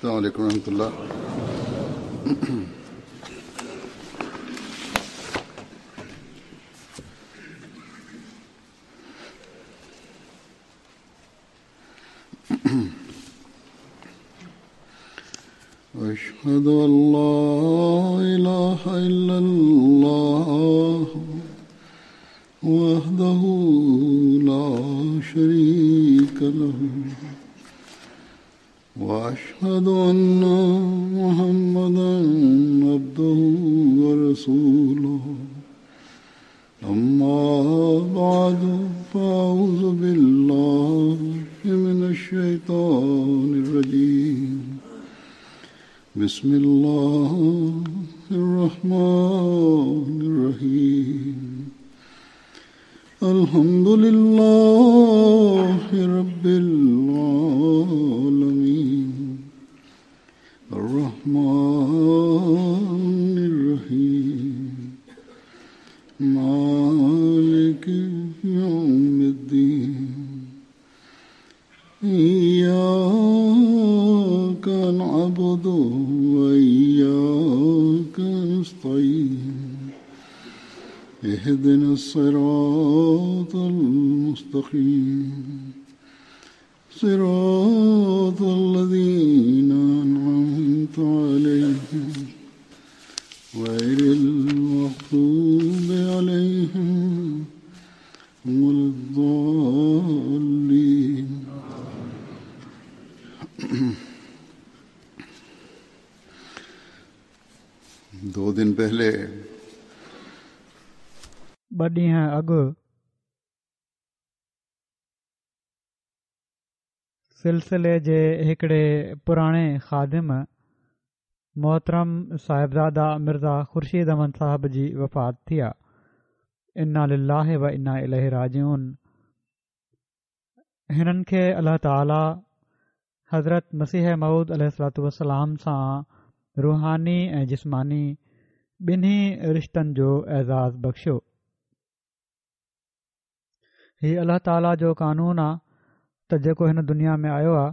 السلام عليڪم ورحمة الله. أشهد أن لا إله إلا الله وحده لا شريك له وأشهد أن محمدا عبده ورسوله أما بعد فأعوذ بالله من الشيطان الرجيم بسم الله الرحمن الرحيم الحمد لله رب العالمين الرحمن الرحيم مالك يوم الدين إياك نعبد وإياك نستعين اهدنا الصراط المستقيم صراط الذين أنعمت عليهم غير المغضوب عليهم ولا الضالين. دو دن پهلي ٻه ڏينهن اڳ سلسلي جي هڪڙي پراڻي خادم محترم صاحبزاده مرزا خورشيد احمد صاحب جي وفات ٿي آ. انا لله و انا اليه راجعون. هنن کي الله تعالي حضرت مسيح موعود عليه الصلوة والسلام سان روحاني ۽ جسماني ٻنهي رشتن جو اعزاز بخشيو. هي الله تعالي جو قانون آ ته جيڪو هن دنيا ۾ آيو آ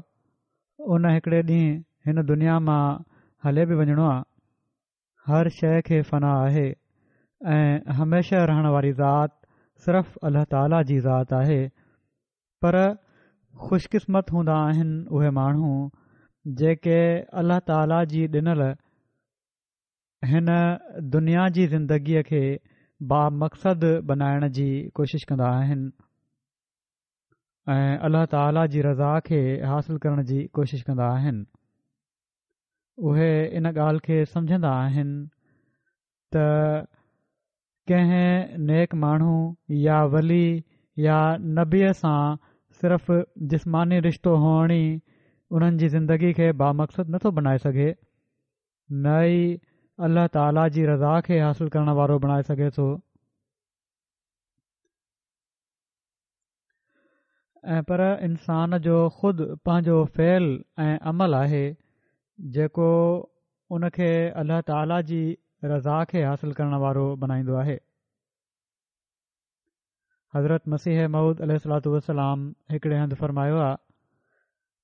ان هڪڙي ڏينهن هن دنيا مان هلي به وڃڻو آ. هر شيء کي فنا آهي ۽ هميشه رهڻ واري ذات صرف الله تعالي جي ذات آهي پر خوش قسمت هوندا آهن اهي ماڻهو جيڪي الله تعالي جي ڏنل هن دنيا جي زندگيء کي بامقصد بنائڻ جي ڪوشش ڪندا آهن ۽ الله تعالي جي رضا کي حاصل ڪرڻ جي ڪوشش ڪندا آهن. اهي ان ڳالهه کي سمجهندا آهن ته ڪنهن نيڪ ماڻهو يا ولي يا نبيء سان صرف جسماني رشتو هئڻ ئي انهن جي زندگي کي بامقصد نٿو بنائي سگهي، نه ئي الله تعاليٰ جي رضا کي حاصل ڪرڻ وارو بڻائي سگهي ٿو. ۽ پر انسان جو خود پنهنجو فعل ۽ عمل آهي جيڪو ان کي الله تعاليٰ جي رضا کي حاصل ڪرڻ وارو بنائيندو آهي. حضرت مسيح موعود عليه الصلوة والسلام هڪڙي هنڌ فرمايو آ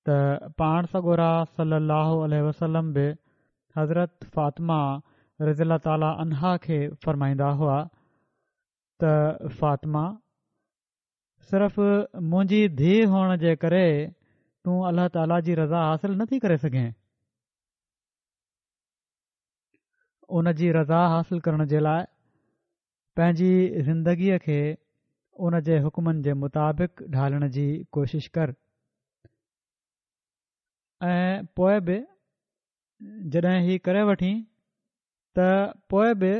ته پاڻ سڳورا صلي الله عليه وسلم به حضرت فاطمه رضي الله تعاليٰ عنها کي فرمائيندا هئا ته فاطمه! صرف منهنجي ڌيء هئڻ جي ڪري تون الله تعاليٰ جي رضا حاصل نه ٿي ڪري سگهين. ان جي رضا حاصل ڪرڻ جي لاء پنهنجي زندگيء کي ان جي حڪمن جي مطابق ڍالڻ جي ڪوشش ڪر ۽ پوء به جڏهن هي ڪري وٺين ته پوء به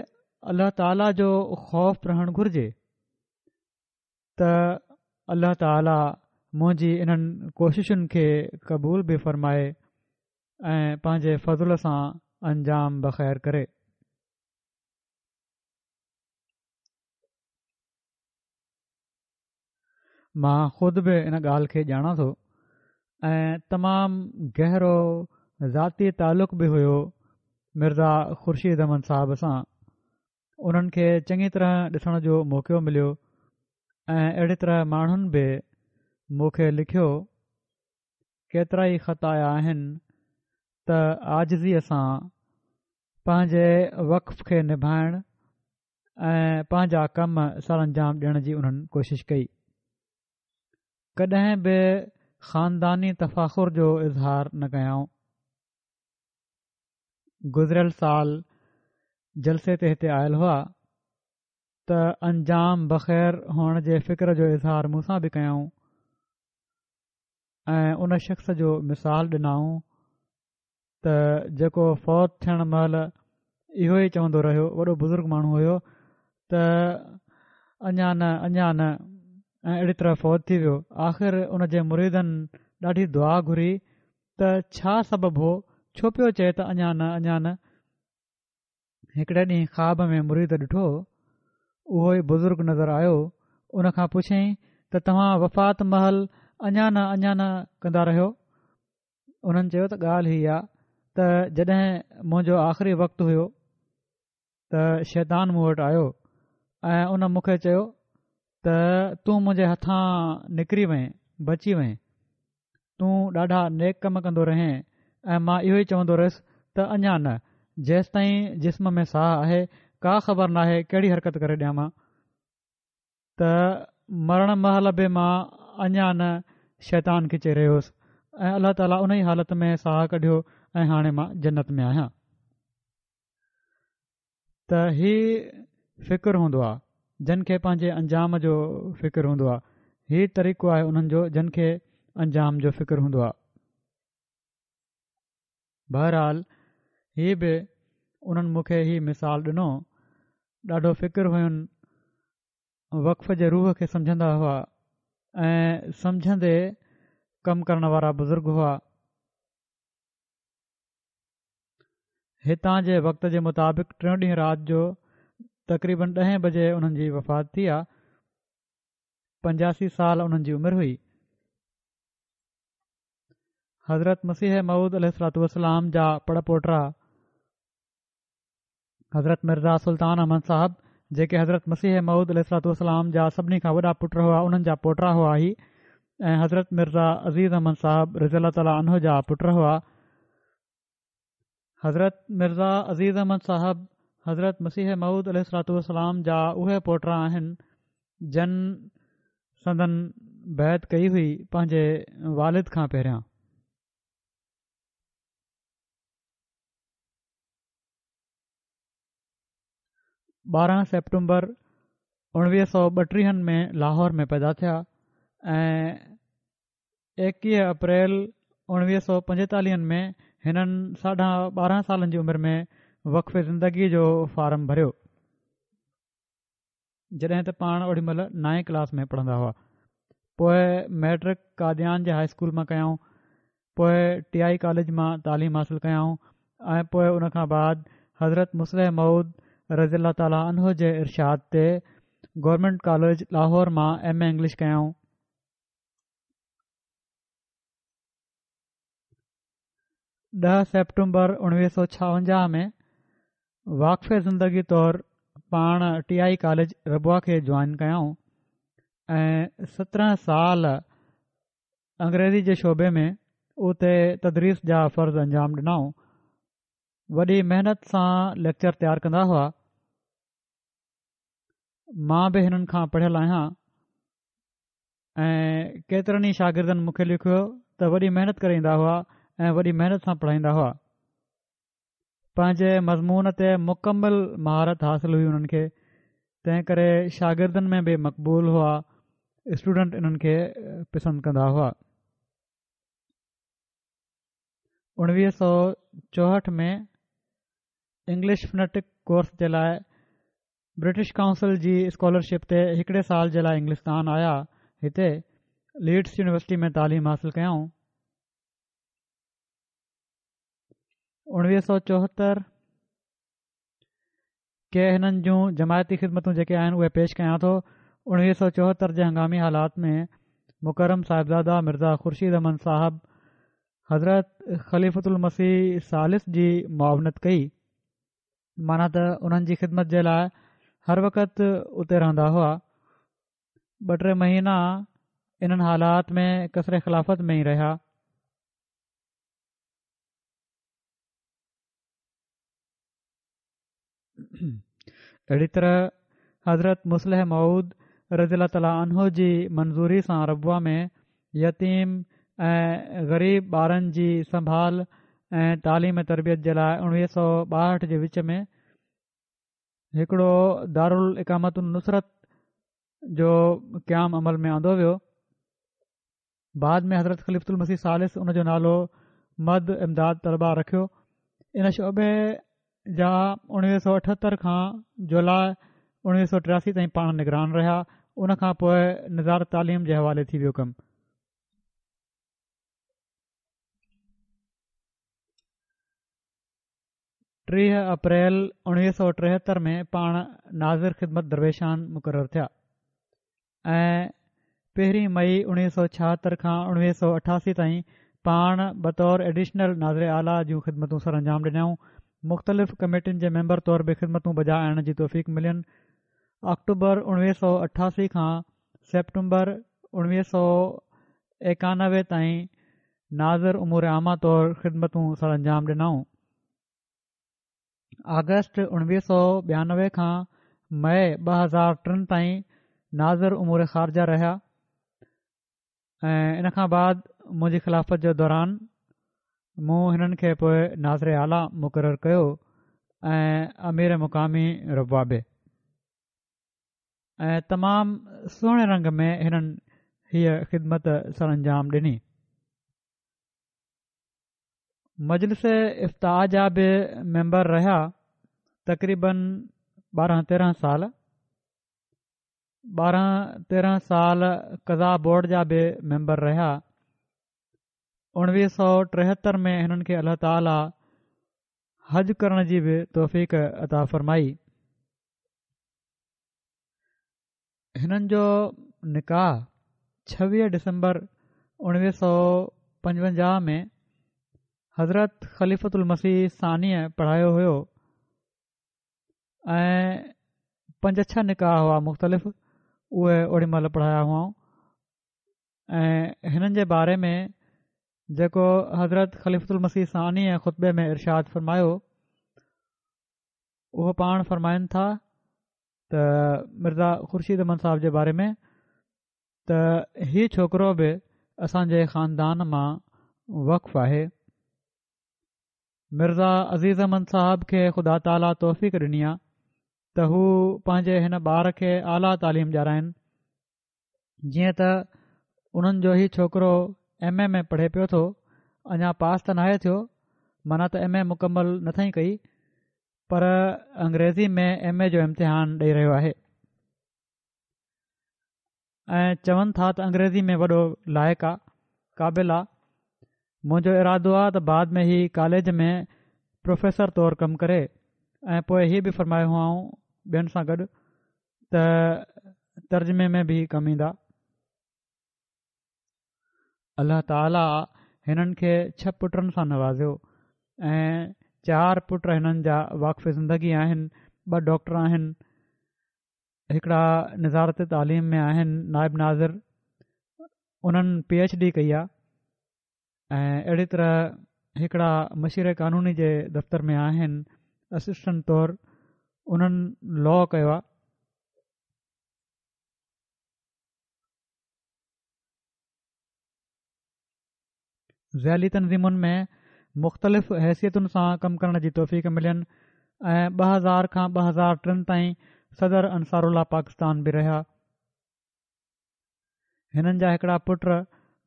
الله تعاليٰ جو خوف رهڻ گهرجي ته الله تعاليٰ منهنجي انهن ڪوششن کي قبول به فرمائي ۽ پنهنجي فضل سان انجام بخير ڪري. مان خود به ان ڳالهه کي ڄاڻان ٿو ۽ تمام گهرو ذاتي تعلق به هيو مرزا خورشيد احمد صاحب سان انهن کي چڱي طرح ڏسڻ جو موقعو مليو ۽ اهڙي طرح ماڻهن به مون کي لکيو ڪيترا ئي خط آيا آهن. ته عاجزيء سان پنهنجي وقف کي نڀائڻ ۽ پنهنجا ڪم سرانجام ڏيڻ جي انهن ڪوشش ڪئي. ڪڏهن به خانداني تفاخر جو اظهار نه ڪيائون. گذريل سال جلسي تي هتي آيل هئا ته انجام بخير هئڻ جي فڪر جو اظهار مون سان به ڪيائون ۽ ان شخص جو مثال ڏنائون ته جيڪو فوت ٿيڻ مهل اهو ئي چوندو رهيو، وڏو بزرگ ماڻهو هيو ته اڃا نه اڃا نه ۽ اهڙي طرح فوت ٿي ويو. آخر ان جي مريدن ڏاڍي دعا گهري ته ڇا سبب هو، ڇو پيو چئي ته اڃا نه اڃا نه. هڪڙي ڏينهن خواب ۾ مريد ڏٺو، اهو ئي بزرگ نظر آيو، ان کان پڇيائين ته توهان وفات مهل اڃا نه اڃا نه ڪندا رهيو؟ انهن چيو ته ڳالهه هي آ ته جڏهن منهنجو آخري وقت هيو ته شيطان مون وٽ آيو ۽ ان مون کي چيو ته تون منهنجي هٿان نڪري وئين بچي وئين تون ڏاڍا نيڪ ڪم ڪندو رهين ۽ مان اهو ئي چوندو رهيس ته اڃا نه جيستائين جسم ۾ ساهه آهي ڪا خبر ناهي ڪهڙي حرڪت ڪري ڏيان مان ته مرڻ مهل به مان اڃا نه شيطان کي چئي رهيو هوس ۽ الله تعاليٰ ان ئي حالت ۾ ساهه ڪڍيو ۽ هاڻي مان جنت ۾ آهيان. ته هي فڪر هوندو آهي جن کي پنهنجي انجام جو فڪر هوندو آهي هي طريقو آهي انهن جو جن کي انجام جو فڪر هوندو آهي. بهرحال هي به انهن مون کي هي مثال ڏنو ڏاڍو فڪر هين وقف جي روح کي سمجهندا هئا ۽ سمجهندي ڪم ڪرڻ وارا بزرگ هئا. هتان جي وقت جي مطابق ٽيون ڏينهن رات جو تقريبن ڏهين بجي انهن جي وفات ٿي آ. 85 سال انهن جي عمر هئي. حضرت مسيح موعود عليه الصلوة والسلام جا پڙ پوٽا حضرت مرزا سلطان احمد صاحب جيڪي حضرت مسيح موعود عليه الصلوة والسلام جا سڀني کان وڏا پٽ هئا انهن جا پوٽا هئا هي ۽ حضرت مرزا عزيز احمد صاحب رضي الله تعالٰي عنه جا پٽ هئا. حضرت مرزا عزيز احمد صاحب حضرت مسيح موعود عليه الصلوة والسلام جا اهي پوٽا آهن جن سندن بيعت ڪئي هئي پنهنجي والد کان پهريان. 12 سيپٽمبر 1932 ۾ لاهور ۾ پيدا ٿيا ۽ 21 اپريل 1945 ۾ هنن ساڍا 12 سالن جي عمر ۾ وقف زندگي جو فارم ڀريو. جڏهن ته پاڻ اوڏي مهل نائين ڪلاس ۾ پڙهندا هئا. پوء مئٽرڪ قاديان جي هاء اسڪول مان ڪيائون. پوء ٽي I college مان تعليم حاصل ڪيائون ۽ پوء ان کان بعد حضرت مصلح موعود رضي الله تعالٰي عنه جي ارشاد تي گورنمينٽ ڪاليج لاهور مان ايم اي انگلش ڪيائون. 10 سيپٽمبر 1956 ۾ واقف زندگي طور پاڻ ٽي I college Rabwah کي جوائن ڪيائون ۽ 17 سال انگريزي جي شعبي ۾ اتي تدريس جا فرض انجام ڏنائون. وڏي محنت سان ليڪچر تيار ڪندا هئا. مان به هنن کان پڙهيل آهيان ۽ ڪيترن ئي شاگردن مون کي لکيو ته وڏي محنت ڪري ايندا هئا ۽ وڏي محنت سان پڙهائيندا هئا پنهنجي مضمون تي مڪمل مهارت حاصل هئي انهن کي تنهن ڪري شاگردن ۾ به مقبول هئا اسٽوڊنٽ انهن کي پسند ڪندا هئا 1964 ۾ انگلش فنيٽڪ ڪورس جي لاء برٽش ڪائونسل جي اسڪالرشپ تي هڪڙي سال جي لاء انگلستان آيا. هتي ليڊس يونيورسٽي ۾ تعليم حاصل ڪيائون. 1974 ڪي هنن جون جماعتي خدمتون جيڪي آهن اهي پيش ڪيان ٿو. 1974 جي هنگامي حالات ۾ مڪرم صاحبزاده مرزا خورشيد احمد صاحب حضرت خليفة المسيح ثالث جي معاونت ڪئي. معنيٰ ته انهن جي خدمت جي لاء هر وقت اتي رهندا هئا. ٻه ٽي مهينا انهن حالات ۾ قصر خلافت ۾ ئي رهيا. اهڙي طرح حضرت مصلح موعود رضي الله تعالٰي عنه جي منظوري سان ربوه ۾ يتيم ۽ غريب ٻارن جي سنڀال ۽ تعليم تربيت جي لاء 1962 جي وچ ۾ هڪڙو دارالاقامت النصرت جو قيام عمل ۾ آندو ويو. بعد ۾ حضرت خليفة المسيح ثالث ان جو نالو مهد امداد طلبه رکيو. ان شعبي جا 1978 کان جولاء 1983 تائين پاڻ نگران رهيا. ان کان پوء نظارت تعليم جي حوالي ٿي ويو ڪم. 30 اپريل 1973 ۾ پاڻ ناظر خدمت درويشان مقرر ٿيا ۽ پهرين مئي 1976 کان 1988 تائين پاڻ بطور ايڊيشنل ناظر اعليٰ جون خدمتون سرانجام ڏنائون. مختلف ڪميٽين جي ميمبر طور به خدمتون بجا آڻڻ جي توفيق ملين. آڪٽوبر 1988 کان سيپٽمبر 1991 تائين ناظر امور عامه طور خدمتون سرانجام ڏنائون. آگسٽ 1992 کان مئي 2003 تائين ناظر امور خارجه رهيا ۽ ان کان بعد منهنجي خلافت جو دوران مون هنن کي پوء ناظر اعليٰ مقرر ڪيو ۽ امير مقامي ربوه به. ۽ تمام سهڻي رنگ ۾ هنن هيء خدمت سرانجام ڏني. مجلس افتاء جا به ميمبر رهيا تقريبن ٻارهن تيرهن سال ٻارهن تيرهن سال قضا بورڊ جا به ميمبر رهيا. اڻويهه سو ٽيهتر ۾ هنن کي الله تعاليٰ حج ڪرڻ جي به توفيق عطا فرمائي. هنن جو نڪاح 26 ڊسمبر 1955 ۾ حضرت خليفة المسيح ثانيء پڙهايو هيو ۽ پنج ڇهه نڪاح هئا مختلف اهي اوڏي مهل پڙهايا هئائون ۽ هنن جي باري ۾ جيڪو حضرت خليفة المسيح ثانيء خطبي ۾ ارشاد فرمايو اهو پاڻ فرمائن ٿا ته مرزا خورشيد احمد صاحب جي باري ۾ ته هي ڇوڪرو به اسان جي خاندان مان وقف آهي. مرزا عزيز احمد صاحب کي خدا تعاليٰ توفيق ڏني آ ته هو پنهنجي هن ٻار کي اعليٰ تعليم ڏيارائن. جيئن ته انهن جو هي ڇوڪرو ايم اي ۾ پڙهي پيو ٿو اڃا پاس ته ناهي ٿيو معنيٰ ته ايم اي مڪمل نه اٿئي ڪئي پر انگريزي ۾ ايم اي جو امتحان ڏئي رهيو آهي ۽ چون ٿا ته انگريزي ۾ وڏو لائق آ قابل آ منهنجو ارادو آ ته بعد ۾ هي ڪاليج ۾ پروفيسر طور ڪم ڪري ۽ پوء هي به فرمايو هئائون ٻين سان گڏ ته ترجمي ۾ به ڪم ايندا. الله تعاليٰ هنن کي ڇهه پٽن سان نوازيو ۽ چار پٽ هنن جا واقف زندگي آهن، ٻه ڊاڪٽر آهن، هڪڙا نظارت تعليم ۾ آهن نائب ناظر، انهن پي ايڇ ڊي ڪئي آهي ۽ اهڙي طرح هڪڙا مشير قانوني جي دفتر ۾ آهن اسسٽنٽ طور انهن لا ڪيو آهي. ذيلي تنظيمن ۾ مختلف حيثيتن سان ڪم ڪرڻ جي توفيق ملين ۽ 2000 کان 2003 تائين صدر انصار الله پاڪستان به رهيا. هنن جا هڪڙا پٽ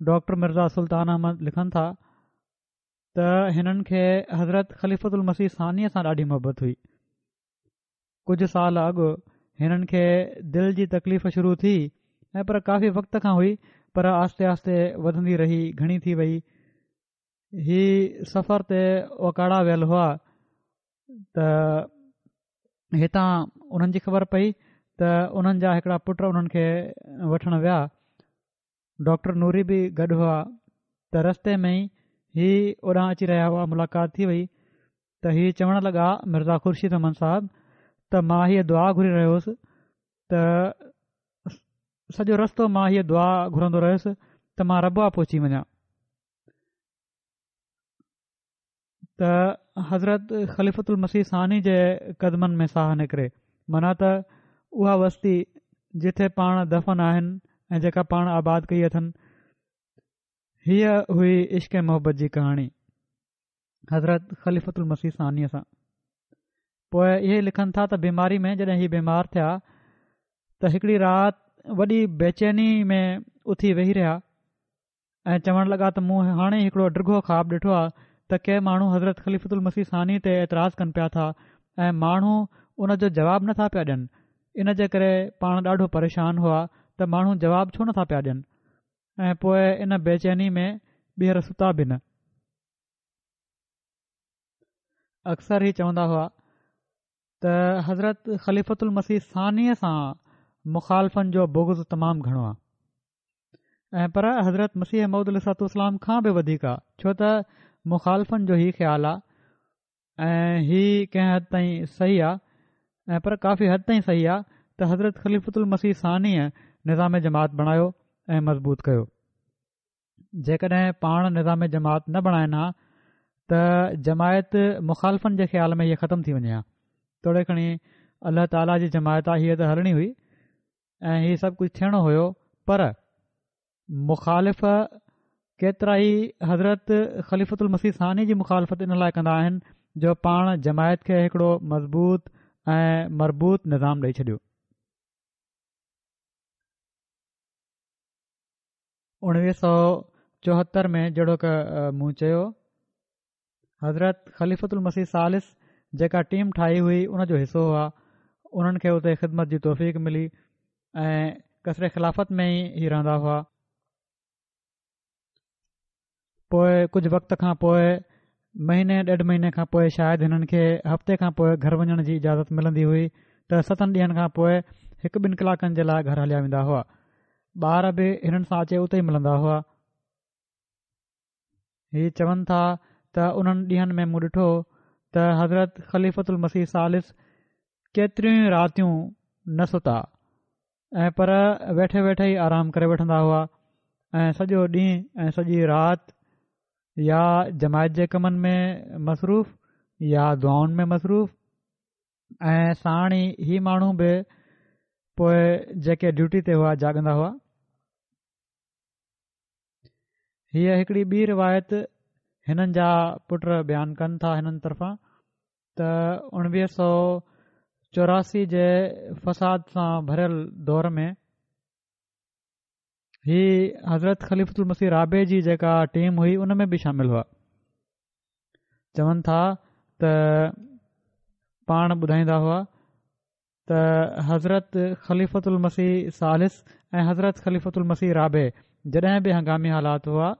ڊاڪٽر مرزا سلطان احمد لکن ٿا ته هنن کي حضرت خليفة المسيح ثانيء سان ڏاڍي محبت هئي. ڪجهه سال اڳ هنن کي دل جي تڪليف شروع ٿي ۽ پر ڪافي وقت کان هئي پر آهستي آهستي وڌندي رهي گهڻي ٿي وئي. هي سفر تي اوڪاڙا ويل هئا ته هتان انهن جي خبر پئي ته انهن جا هڪڙا پٽ انهن کي وٺڻ ويا ڊاڪٽر نوري به گڏ هئا ته رستي ۾ ئي هي اوڏانهن اچي رهيا هئا ملاقات ٿي وئي ته هي چوڻ لڳا مرزا خورشيد احمد صاحب ته مان هيء دعا گهري رهيو هوس ته سڄو رستو مان هيء دعا گهرندو رهيس ته مان ربوه پهچي وڃان ته حضرت خليفة المسيح ثاني جي قدمن ۾ ساهه نڪري، معنيٰ ته اها وستي جتي پاڻ دفن آهن ۽ جيڪا پاڻ آباد ڪئي اٿن. هيء هئي عشق ۽ محبت جي ڪهاڻي حضرت خليفة المسيح ثانيء سان. پوء اهي لکن ٿا ته بيماري ۾ جڏهن هي بيمار ٿيا ته هڪڙي رات وڏي بيچيني ۾ اٿي ويهي رهيا ۽ چوڻ لڳا ته مون هاڻي هڪڙو ڊگهو خواب ڏٺو آهي ته ڪي ماڻهو حضرت خليفة المسيح ثاني تي اعتراض ڪن پيا ٿا ۽ ماڻهو ان جو جواب نٿا پيا ڏين ان جي ڪري پاڻ ڏاڍو پريشان هئا ته ماڻهو جواب ڇو نٿا پيا ڏين ۽ پوء ان بيچيني ۾ ٻيهر ستا به نه. اڪثر هي چوندا هئا ته حضرت خليفة المسيح ثانيء سان مخالفن جو بغض تمام گهڻو آهي ۽ پر حضرت مسيح موعود عليه الصلوة والسلام کان به وڌيڪ آهي ڇو ته مخالفن جو هي خيال آهي ۽ هي ڪنهن حد تائين صحيح آهي ۽ پر ڪافي حد تائين صحيح آهي ته حضرت خليفة المسيح ثانيء نظام جماعت بڻايو ۽ مضبوط ڪيو جيڪڏهن پاڻ نظام جماعت نه بڻائن ها ته جماعت مخالفن جي خيال ۾ هيء ختم ٿي وڃي ها توڙي کڻي الله تعاليٰ جي جماعت آ هيء ته هلڻي هئي ۽ هي سڀ ڪجهه ٿيڻو هيو پر مخالف ڪيترا ئي حضرت خليفة المسيح ثاني جي مخالفت ان لاء ڪندا آهن جو پاڻ جماعت کي هڪڙو مضبوط ۽ مربوط نظام ڏئي ڇڏيو. 1974 ۾ جهڙوڪ مون چيو حضرت خليفة المسيح ثالث جيڪا ٽيم ٺاهي هئي ان جو حصو هئا انهن کي اتي خدمت جي توفيق ملي ۽ قصر خلافت ۾ ئي هي رهندا هئا پوء ڪجهه وقت کان پوء مهيني ڏيڍ مهيني کان پوء شايد هنن کي هفتي کان پوء گهر وڃڻ جي اجازت ملندي هئي ته ستن ڏينهن کان پوء هڪ ٻن ڪلاڪن جي لاء گهر هليا ويندا هئا. ٻار به هنن سان اچي اتي ئي ملندا هئا. هي چون ٿا ته انهن ڏينهن ۾ مون ڏٺو ته حضرت خليفة المسيح ثالث ڪيتريون ئي راتيون نه ستا ۽ پر ويٺي ويٺي ئي آرام ڪري وٺندا هئا ۽ سڄو ڏينهن ۽ سڄي رات يا جماعت جي ڪمن ۾ مصروف يا دعائن ۾ مصروف ۽ ساڻ ئي هي ماڻهو به پوء جيڪي ڊيوٽي تي هئا جاڳندا هئا. هيء هڪڙي ٻي روايت هنن جا پٽ بيان ڪن ٿا هنن طرفان ته 1984 جي فساد سان ڀريل دور ۾ هي حضرت خليفة المسيح رابع جي جيڪا ٽيم هئي ان ۾ به شامل هئا چون ٿا ته پاڻ ٻڌائيندا هئا ته حضرت خليفة المسيح ثالث ۽ حضرت خليفة المسيح رابع جڏهن به هنگامي حالات هئا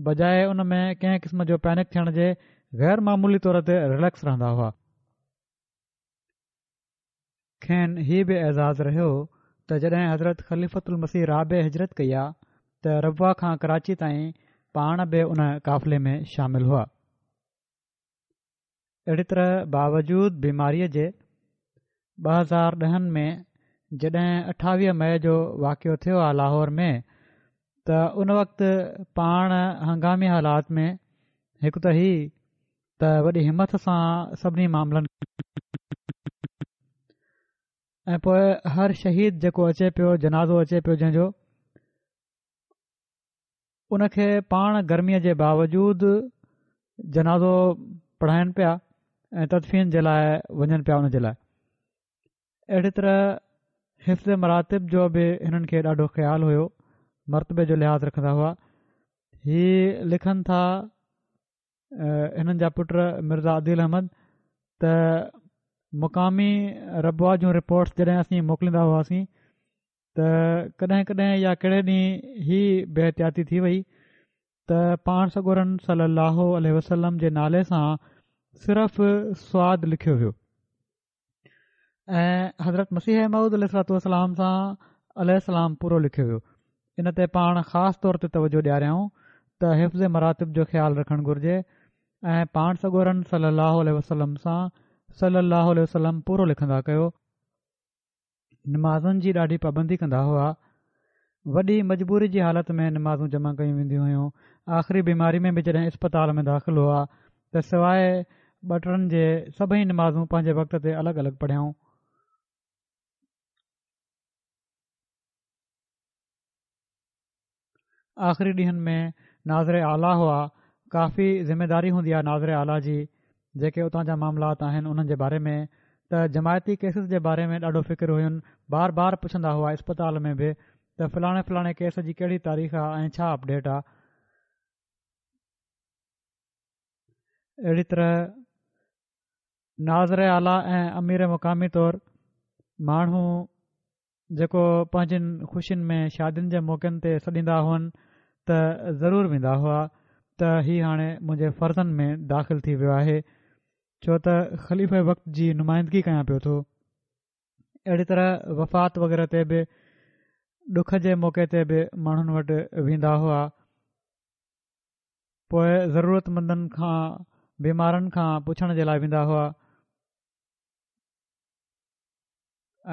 بجاء ان ۾ ڪنهن قسم جو پينڪ ٿيڻ جي غير معمولي طور تي رليڪس رهندا هئا. کين هي به اعزاز رهيو ته جڏهن حضرت خليفة المسيح رابع هجرت ڪئي آ ته ربوه کان ڪراچي تائين پاڻ به ان قافلي ۾ شامل هئا. اهڙي طرح باوجود بيماريء جي 2010 ۾ جڏهن 28 مئي جو واقعو ٿيو آ لاهور ۾ ته ان وقت پاڻ هنگامي حالات ۾ هڪ ته هي ته وڏي همٿ سان سڀني معاملن ۽ پوء هر شهيد جيڪو اچي پيو جنازو اچي پيو جنهن جو ان کي پاڻ گرميء جي باوجود جنازو پڙهائن پيا ۽ تدفين جي لاء وڃن پيا ان جي لاء اهڙي طرح حفظ مراتب جو به هنن کي ڏاڍو خيال هيو مرتبي جو لحاظ رکندا هئا هي لکن ٿا هنن جا پٽ مرزا عديل احمد ته مقامي ربوه جون رپورٽس جڏهن اسين موڪليندا هئاسين ته ڪڏهن ڪڏهن يا ڪهڙي ڏينهن هي بي احتياطي ٿي وئي ته پاڻ سڳورن صلي الله عليه وسلم جي نالي سان صرف صاد لکيو ويو ۽ حضرت مسيح موعود عليه الصلوة والسلام سان عليه السلام پورو لکيو ويو ان تي پاڻ خاص طور تي توجه ڏياريائون ته حفظ مراتب جو خيال رکڻ گهرجي ۽ پاڻ سڳورن صلي الله عليه وسلم سان صلي الله عليه وسلم پورو لکندا ڪيو نمازن جي ڏاڍي پابندي ڪندا هئا. وڏي مجبوري جي حالت ۾ نمازون جمع ڪيون وينديون هيون. آخري بيماري ۾ به جڏهن اسپتال ۾ داخل هئا ته سواء ٻه ٽن جي سڀئي نمازون پنهنجي وقت تي الڳ الڳ پڙهيائون. آخري ڏينهن ۾ ناظر اعليٰ هئا، ڪافي ذميداري هوندي آهي ناظر اعليٰ جي، جيڪي اتان جا معاملات آهن انهن جي باري ۾ ته جماعتي ڪيسز جي باري ۾ ڏاڍو فڪر هين، بار بار پڇندا هئا اسپتال ۾ به ته فلاڻي فلاڻي ڪيس جي ڪهڙي تاريخ آ ۽ ڇا اپڊيٽ آ. اهڙي طرح ناظر اعليٰ ۽ امير مقامي طور ماڻهو جيڪو پنهنجين خوشين ۾ شادين جي موقعن تي سڏيندا هئن ته ضرور ويندا هئا ته هي هاڻي منهنجي فرضن ۾ داخل ٿي ويو آهي ڇو ته خليفه وقت جي نمائندگي ڪيان پيو ٿو. اهڙي طرح وفات وغيره تي به ڏک جي موقعي تي به ماڻهن وٽ ويندا هئا. پوء ضرورتمندن کان بيمارن کان پڇڻ جي لاء ويندا هئا.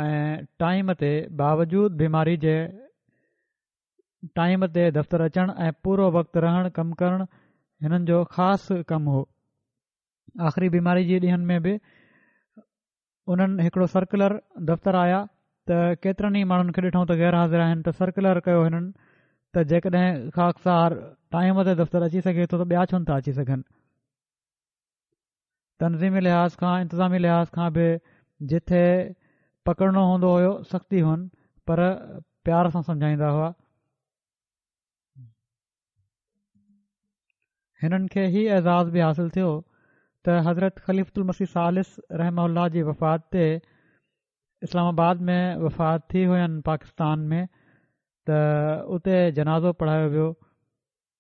۽ ٽائيم تي باوجود بيماري جي ٽائيم تي دفتر اچڻ ۽ پورو وقت رهڻ ڪم ڪرڻ هنن جو خاص ڪم هو. آخري بيماري جي ڏينهن ۾ به انهن هڪڙو سرڪلر دفتر آيا ته ڪيترن ئي ماڻهن کي ڏٺائون ته غير حاضر آهن ته سرڪلر ڪيو هنن ته جيڪڏهن خاڪسار ٽائيم تي دفتر اچي سگهي ٿو ته ٻيا ڇو نٿا اچي سگهن. تنظيمي لحاظ کان انتظامي لحاظ کان به جٿي پڪڙڻو هوندو هيو سختي هئن پر پيار سان سمجهائيندا هئا. هنن کي هي اعزاز به حاصل ٿيو ته حضرت خليفة المسيح ثالث رحمه الله جي وفات تي اسلام آباد ۾ وفات ٿي هئن پاڪستان ۾ ته اتي جنازو پڙهايو ويو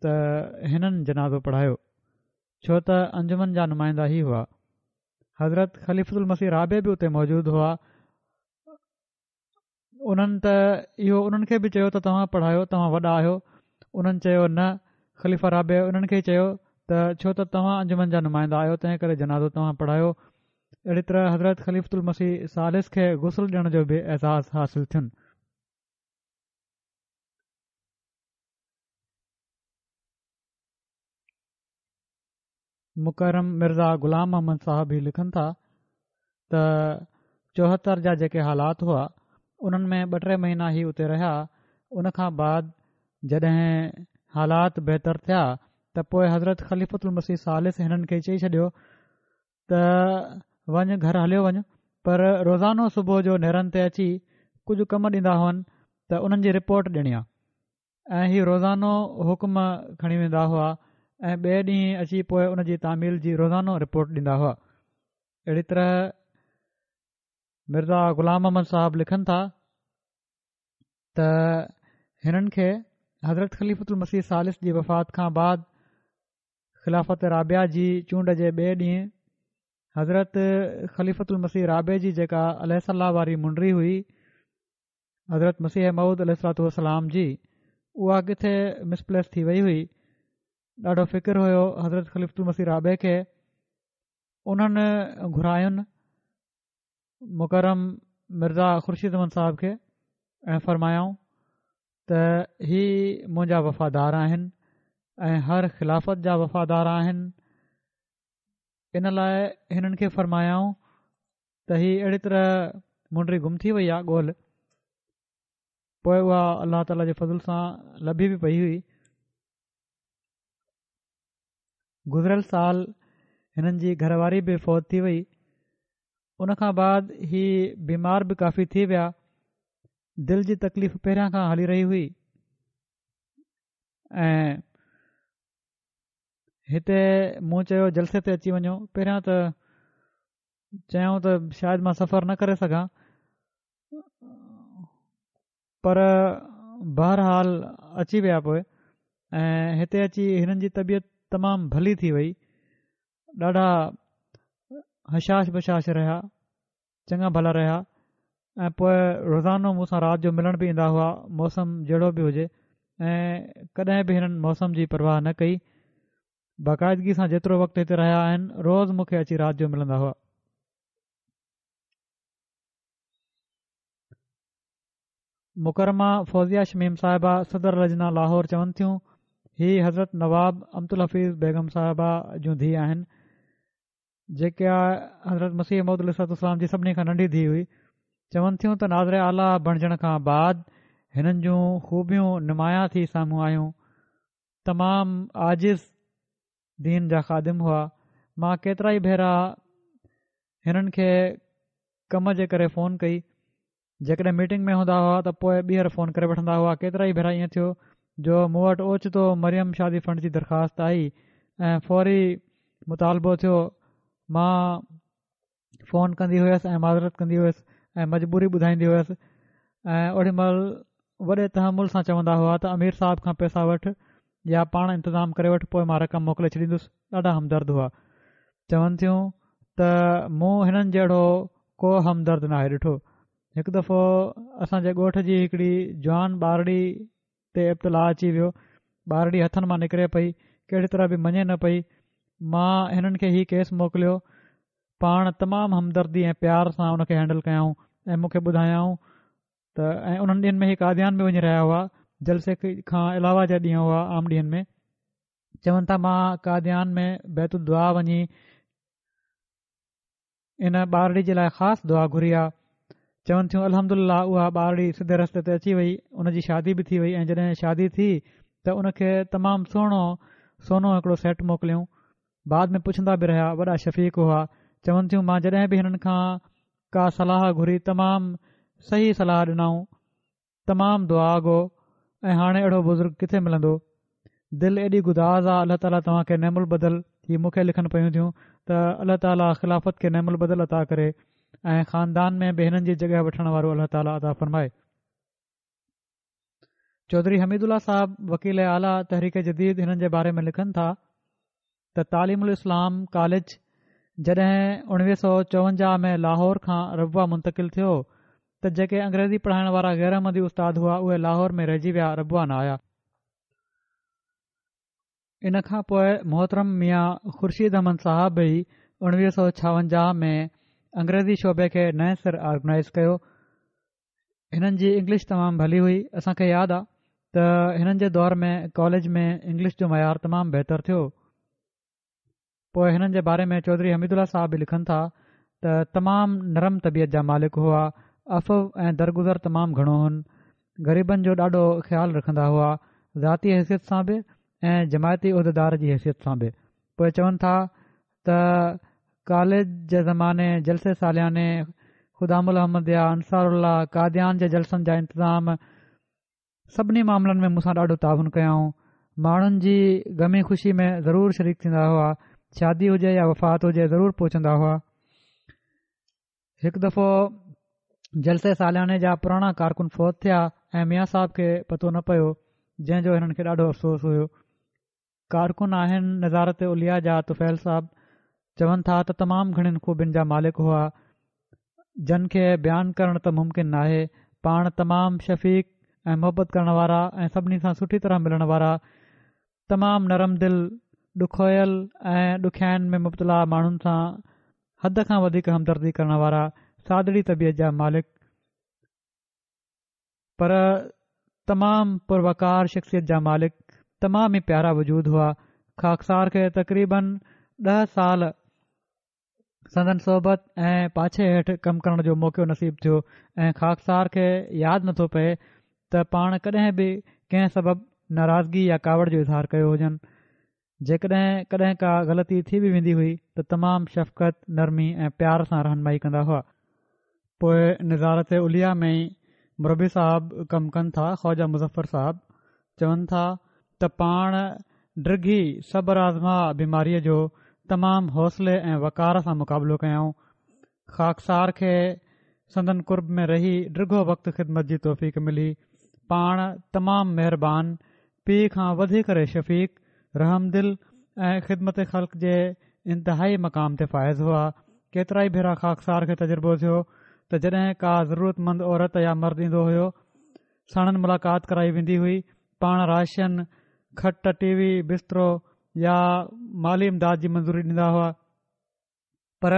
ته هنن جنازو پڙهايو ڇو ته انجمن جا نمائندا هي هئا. حضرت خليفة المسيح رابع به اتي موجود هئا. انهن ته اهو انهن کي به چيو ته توهان پڙهايو توهان وڏا آهيو. انهن چيو نه خليفه رابع انهن کي چيو ته ڇو ته توهان انجمن جا نمائندا آهيو تنهن ڪري جنازو توهان پڙهايو. اهڙي طرح حضرت خليفة المسيح ثالث کي غسل ڏيڻ جو به اعزاز حاصل ٿين. مڪرم مرزا غلام محمد صاحب هي لکن ٿا ته 74 جا جيڪي حالات هئا انهن ۾ ٻه ٽي مهينا هي اتي رهيا ان کان بعد جڏهن حالات بهتر ٿيا ته پوء حضرت خليفة المسيح ثالث هنن کي چئي ڇڏيو ته وڃ گهر هليو وڃ پر روزانو صبح جو نيرن تي اچي ڪجهه ڪم ڏيندا هئن ته انهن جي رپورٽ ڏيڻي آ ۽ هي روزانو حڪم کڻي ويندا هئا ۽ ٻئي ڏينهن اچي پوء ان جي تعميل جي روزانو رپورٽ ڏيندا هئا. اهڙي طرح مرزا غلام احمد صاحب لکن ٿا ته هنن کي حضرت خليفة المسيح ثالث جي وفات کان بعد خلافت رابعه جي چونڊ جي ٻئي ڏينهن حضرت خليفة المسيح رابع جي جيڪا عليه الصلوة واري منڊري هئي حضرت مسيح موعود عليه الصلوة والسلام جي اها ڪٿي مس پليس ٿي وئي هئي ڏاڍو فڪر هيو حضرت خليفة المسيح رابع کي انهن گهراين مڪرم مرزا خورشيد احمد صاحب کي ۽ فرمايائون ته هي منهنجا وفادار آهن ۽ هر خلافت جا وفادار آهن ان لاء هنن کي فرمايائون ته هي اهڙي طرح منڊري گم ٿي وئي آهي ڳولهه پوء اها الله تعاليٰ جي فضل سان لڀي به پئي هئي گذريل سال هنن جي گهر واري به فوت ٿي وئي ان کان بعد هي بيمار به ڪافي ٿي ويا دل جي تڪليف پهريان کان هلي رهي هئي ۽ هتي مون چيو جلسي تي اچي وڃو پهريان ته چيائون ته شايد مان سفر نه ڪري سگهان پر بهرحال اچي ويا پوء ۽ هتي اچي هنن جي طبيعت تمام ڀلي ٿي وئي ڏاڍا هشاش بشاش رهيا چڱا ڀلا رهيا ۽ پوء روزانو مون سان رات جو ملڻ به ايندا هئا موسم جهڙو به هجي ۽ ڪڏهن به هنن موسم جي پرواهه نه ڪئي باقاعدگي سان جيترو وقت هتي رهيا آهن روز مون کي اچي رات جو ملندا هئا. مڪرمه فوزيه شميم صاحبه صدر لجنه لاهور چون ٿيون هي حضرت نواب امت الحفيظ بيگم صاحبه جون ڌيء آهن. جيڪا حضرت مسيح موعود عليه الصلوة والسلام جي سڀني کان ننڍي ڌيء هئي، چون ٿيون ته ناظر اعليٰ بڻجڻ کان بعد هنن جون خوبيون نمايان ٿي سامهون آيون. تمام عاجز دين جا خادم هئا. مان ڪيترائي ڀيرا هنن کي ڪم جي ڪري فون ڪئي. جيڪڏهن ميٽنگ ۾ هوندا هئا ته پوء ٻيهر فون ڪري وٺندا هئا. ڪيترائي ڀيرا ائين ٿيو جو مون وٽ اوچتو مريم شادي فنڊ جي درخواست آئي ۽ فوري مطالبو ٿيو. مان فون ڪندي هيس ۽ معذرت ڪندي هيس ۽ مجبوري ٻڌائيندي هيس ۽ اوڏي مهل وڏي تحمل سان چوندا هئا ته امير صاحب کان پئسا وٺ يا پاڻ انتظام ڪري وٺ پوء مان رقم موڪلي ڇڏيندس. ڏاڍا همدرد هئا. چون ٿيون ته مون هنن جهڙو ڪو همدرد ناهي ڏٺو. هڪ دفعو اسان جي ڳوٺ جي هڪڙي جوان ٻارڙي تي ابتلاء اچي ويو. ٻارڙي هٿن مان نڪري پئي، ڪهڙي طرح به مڃي نه پئي. مان هنن کي هي ڪيس موڪليو. پاڻ تمام همدردي ۽ پيار سان ان کي هينڊل ڪيائون ۽ مون کي ٻڌايائون ته ۽ انهن ڏينهن ۾ هي قاديان به وڃي رهيا هئا. جلسي کان علاوه جا ڏينهن هئا عام ڏينهن ۾. چون ٿا مان قاديان ۾ بيت الدعا وڃي ان ٻارڙي جي لاء خاص دعا گهري آ. چون ٿيون الحمدلله اها ٻارڙي سڌي رستي تي اچي وئي ان جي شادي به ٿي وئي ۽ جڏهن شادي ٿي ته ان کي تمام سهڻو سونو هڪڙو سيٽ موڪليائون بعد ۾ پڇندا به رهيا وڏا شفيق هئا چون ٿيون مان جڏهن به هنن کان ڪا صلاح گهري تمام صحيح صلاح ڏنائون تمام دعا گو ۽ هاڻي اهڙو بزرگ ڪٿي ملندو دل ايڏي گداز آ الله تعالي توهان کي نعم البدل هي مون کي لکن پيون ٿيون ته الله تعالي خلافت کي نعم البدل عطا ڪري ۽ خاندان ۾ به هنن جي جڳهه وٺڻ وارو الله تعالي عطا فرمائي. چوڌري حميد الله صاحب وڪيل اعليٰ تحريڪ جديد هنن جي باري ۾ لکن ٿا ته تعليم الاسلام ڪاليج جڏهن 1954 ۾ لاهور کان ربوه منتقل ٿيو ته جيڪي انگريزي پڙهائڻ وارا غير احمدي استاد هئا اهي لاهور ۾ رهجي ويا ربوه نه آيا. ان کان پوء محترم ميان خورشيد احمد صاحب ئي 1956 ۾ انگريزي شعبي کي نئين سر آرگنائيز ڪيو. هنن جي انگلش تمام ڀلي هئي. اسان کي ياد آ ته هنن جي دور ۾ ڪاليج ۾ انگلش جو معيار تمام بهتر ٿيو. پوء هنن جي باري ۾ چوڌري حميد الله صاحب به لکن ٿا ته تمام نرم طبيعت جا مالڪ هئا، عفو ۽ درگذر تمام گهڻو هن، غريبن جو ڏاڍو خيال رکندا هئا، ذاتي حيثيت سان به ۽ جماعتي عهديدار جي حيثيت سان به. پوء چون ٿا ته ڪاليج جي زماني جلسي سالياني، خدام الاحمديه، انصار الله، قاديان جي جلسن جا انتظام، سڀني معاملن ۾ مون سان ڏاڍو تعاون ڪيائون. ماڻهن جي غمي خوشي ۾ ضرور شريڪ ٿيندا هئا. شادي هجي يا وفات هجي ضرور پهچندا هئا. هڪ دفعو جلسي سالياني جا پراڻا ڪارڪن فوت ٿيا ۽ ميان صاحب کي پتو نه پيو جنهن جو هنن کي ڏاڍو افسوس هيو. ڪارڪن آهن نظارت عليا جا طفيل صاحب چون ٿا ته تمام گهڻين خوبين جا مالڪ هئا جن کي بيان ڪرڻ ته ممڪن ناهي پاڻ تمام شفيق ۽ محبت ڪرڻ وارا ۽ سڀني سان سٺي طرح ملڻ وارا تمام نرم دل ڏکويل ۽ ڏکيائين ۾ مبتلا ماڻهن سان حد کان وڌيڪ همدردي ڪرڻ وارا سادڙي طبيعت جا مالڪ پر تمام پروقار شخصيت جا مالڪ تمام ئي پيارا وجود هئا. خاڪسار کي تقريبن ڏهه سال سندن صحبت ۽ پاڇي هيٺ ڪم ڪرڻ جو موقعو نصيب ٿيو ۽ خاڪسار کي ياد نٿو پئي ته پاڻ ڪڏهن به ڪنهن سبب ناراضگي يا ڪاوڙ جو اظهار ڪيو هجن. جيڪڏهن ڪڏهن ڪا غلطي ٿي به ويندي هئي ته تمام شفقت، نرمي ۽ پيار سان رهنمائي ڪندا هئا. پوء نظارت عليا ۾ ئي مربي صاحب ڪم ڪن ٿا، خواجه مظفر صاحب چون ٿا ته پاڻ ڊگهي صبر آزما بيماريء جو تمام حوصلي ۽ وقار سان مقابلو ڪيائون. خاڪسار کي سندن قرب ۾ رهي ڊگهو وقت خدمت جي توفيق ملي. پاڻ تمام مهربان، پيء کان وڌي ڪري شفيق، رحمدل ۽ خدمت خلق جي انتهائي مقام تي فائز هئا. ڪيترائي ڀيرا خاڪسار کي تجربو ٿيو ته جڏهن ڪا ضرورتمند عورت يا مرد ايندو هيو، ساڻن ملاقات ڪرائي ويندي هئي. پاڻ راشن، کٽ، ٽي وي، بسترو يا مالي امداد جي منظوري ڏيندا هئا. پر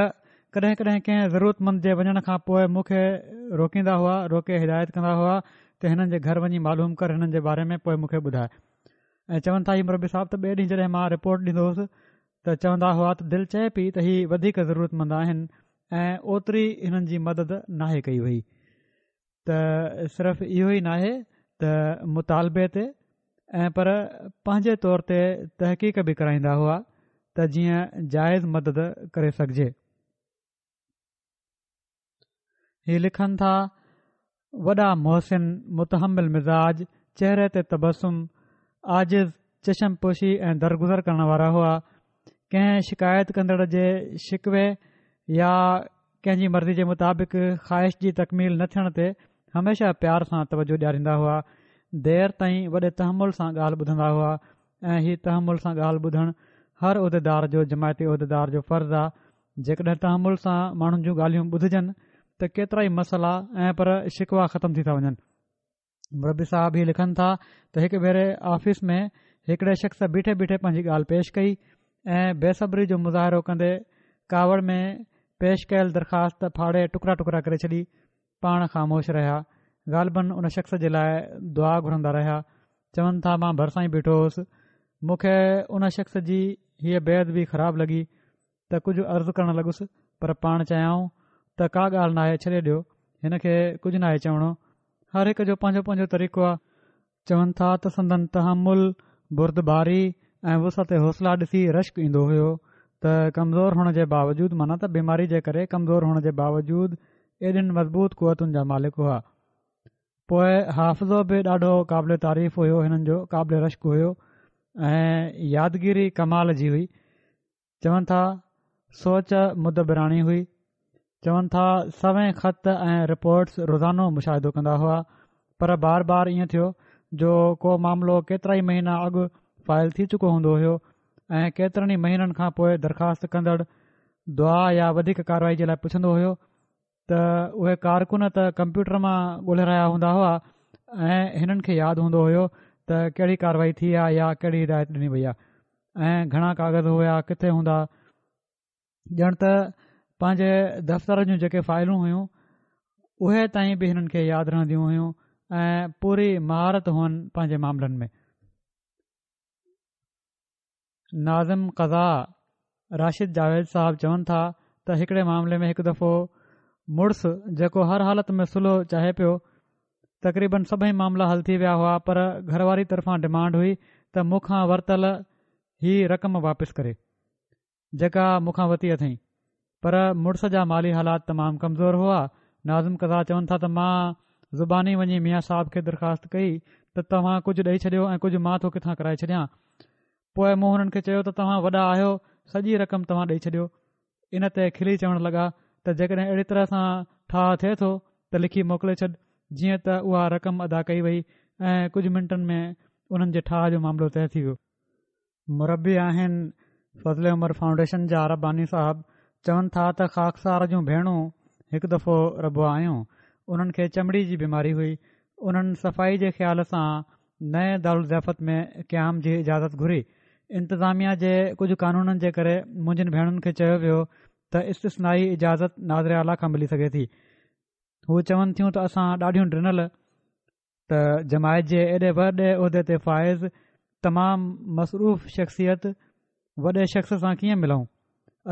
ڪڏهن ڪڏهن ڪنهن ضرورتمند جي وڃڻ کان پوء مون کي روڪيندا هئا، روڪي هدايت ڪندا هئا ته هنن جي گهر وڃي معلوم ڪر هنن جي باري ۾ پوء مون کي ٻڌاء ۽ چون ٿا هي مربي صاحب ته ٻئي ڏينهن جڏهن مان رپورٽ ڏيندو هوس ته چوندا هئا ته دل چئي پئي ته هي وڌيڪ ضرورتمند آهن ۽ اوتري هنن جي مدد ناهي ڪئي وئي ته صرف اهو ئي ناهي ته مطالبي تي ۽ پر پنهنجي طور تي تحقيق به ڪرائيندا هئا ته جيئن جائز مدد ڪري سگهجي. هي لکن ٿا، وڏا محسن، متحمل مزاج، چهري تي تبسم، عاجز، چشم پوشي ۽ درگذر ڪرڻ وارا هئا. ڪنهن شڪايت ڪندڙ جي شڪوي يا ڪنهن جي مرضي جي مطابق خواهش جي تڪميل نه ٿيڻ تي هميشه پيار سان توجه ڏياريندا هئا. دير تائين وڏي تحمل سان ڳالهه ٻڌندا هئا ۽ هي تحمل سان ڳالهه ٻڌڻ هر عهديدار جو جماعتي عهديدار جو فرض آ جيڪڏهن تحمل سان ماڻهن جون ڳالهيون ٻڌجن ته ڪيترائي مسئلا ۽ پر شڪوا ختم ٿي ٿا وڃن. مربي صاحب هي لکن ٿا ته هڪ ڀيري آفيس ۾ هڪڙي شخص بيٺي بيٺي پنهنجي ڳالهه پيش ڪئي ۽ بي صبري جو مظاهرو ڪندي ڪاوڙ ۾ پيش ڪيل درخواست ڦاڙي ٽڪرا ٽڪرا ڪري ڇڏي. پاڻ خاموش رهيا. غالباً ان شخص جي لاء دعا گهرندا رهيا. چون ٿا مان ڀرسان ئي بيٺو هوس. مون کي ان شخص جي هيء بي ادبي خراب لڳي. ته ڪجهه عرض ڪرڻ لڳس پر پاڻ چيائون ته ڪا ڳالهه ناهي ڇڏي ڏيو هن کي ڪجهه ناهي چوڻو هر هڪ جو پنهنجو پنهنجو طريقو آ. چون ٿا ته سندن تحمل، بردباري ۽ وسعت حوصله ڏسي رشڪ ايندو هيو ته ڪمزور هئڻ جي باوجود معنيٰ ته بيماري جي ڪري ڪمزور هئڻ جي باوجود ايڏين مضبوط قوتن جا مالڪ هئا. پوء حافظو به ڏاڍو قابل تعريف هيو هنن جو قابل رشڪ هيو ۽ يادگيري ڪمال جي هئي. چون ٿا سوچ مدبراڻي هئي. چون ٿا سوين خط ۽ رپورٽس روزانو مشاهدو ڪندا هئا پر بار بار ائين ٿيو جو ڪو معاملو ڪيترائي مهينا اڳ فائل ٿي چڪو هوندو هيو ۽ ڪيترن ئي مهينن کان پوء درخواست ڪندڙ دعا يا وڌيڪ ڪارروائي جي لاء پڇندو هيو ته اهي ڪارڪن ته ڪمپيوٽر مان ڳولهي رهيا هوندا هئا ۽ هنن کي ياد هوندو هيو ته ڪهڙي ڪارروائي ٿي آهي يا ڪهڙي هدايت ڏني وئي آهي ۽ گهڻا ڪاغذ هيا ڪٿي هوندا ڄڻ ته پنهنجي دفتر جون جيڪي فائلون هيون اهي تائين به هنن کي ياد رهنديون هيون ۽ پوري مهارت هئن پنهنجي معاملن ۾ ناظم قضا راشد جاويد صاحب چون ٿا ته هڪڙي معاملي ۾ هڪ دفعو مڙس جيڪو هر حالت ۾ صلح چاهي پيو تقريبن سڀئي معاملا حل ٿي ويا هئا پر گهر واري طرفان ڊمانڊ هئي ته مون کان ورتل هي رقم واپس ڪري جيڪا مون کان ورتي اٿئين پر مڙس جا مالي حالات تمام ڪمزور هئا. ناظم قضا چون ٿا ته مان زباني وڃي ميان صاحب کي درخواست ڪئي ته توهان ڪجهه ڏئي ڇڏيو ۽ ڪجهه مان ٿو ڪٿان ڪرائي ڇڏيان. پوء مون هنن کي چيو ته توهان وڏا آهيو سڄي رقم توهان ڏئي ڇڏيو. ان تي کلي چوڻ لڳا ته جيڪڏهن اهڙي طرح سان ٺاهه ٿئي ٿو ته لکي موڪلي ڇڏ. جيئن ته اها رقم ادا ڪئي وئي ۽ ڪجهه منٽن ۾ انهن جي ٺاهه جو معاملو طئي ٿي ويو. مربي آهن فضل عمر فائونڊيشن جا رباني صاحب چون ٿا ته خاڪسار جون ڀيڻون هڪ دفعو ربوه آيون انهن کي چمڙي جي بيماري هئي انهن صفائي جي خيال سان نئين دارالضيافت ۾ قيام جي اجازت گهري انتظاميا جي ڪجهه قانونن جي ڪري منهنجين ڀيڻن کي چيو ويو ته استثنائي اجازت ناظر اعليٰ کان ملي سگهي ٿي هو چون ٿيون ته اسان ڏاڍيون ڊنل ته جماعت جي ايڏي وڏي عهدي تي فائز تمام مصروف شخصيت وڏي شخص سان ڪيئن ملون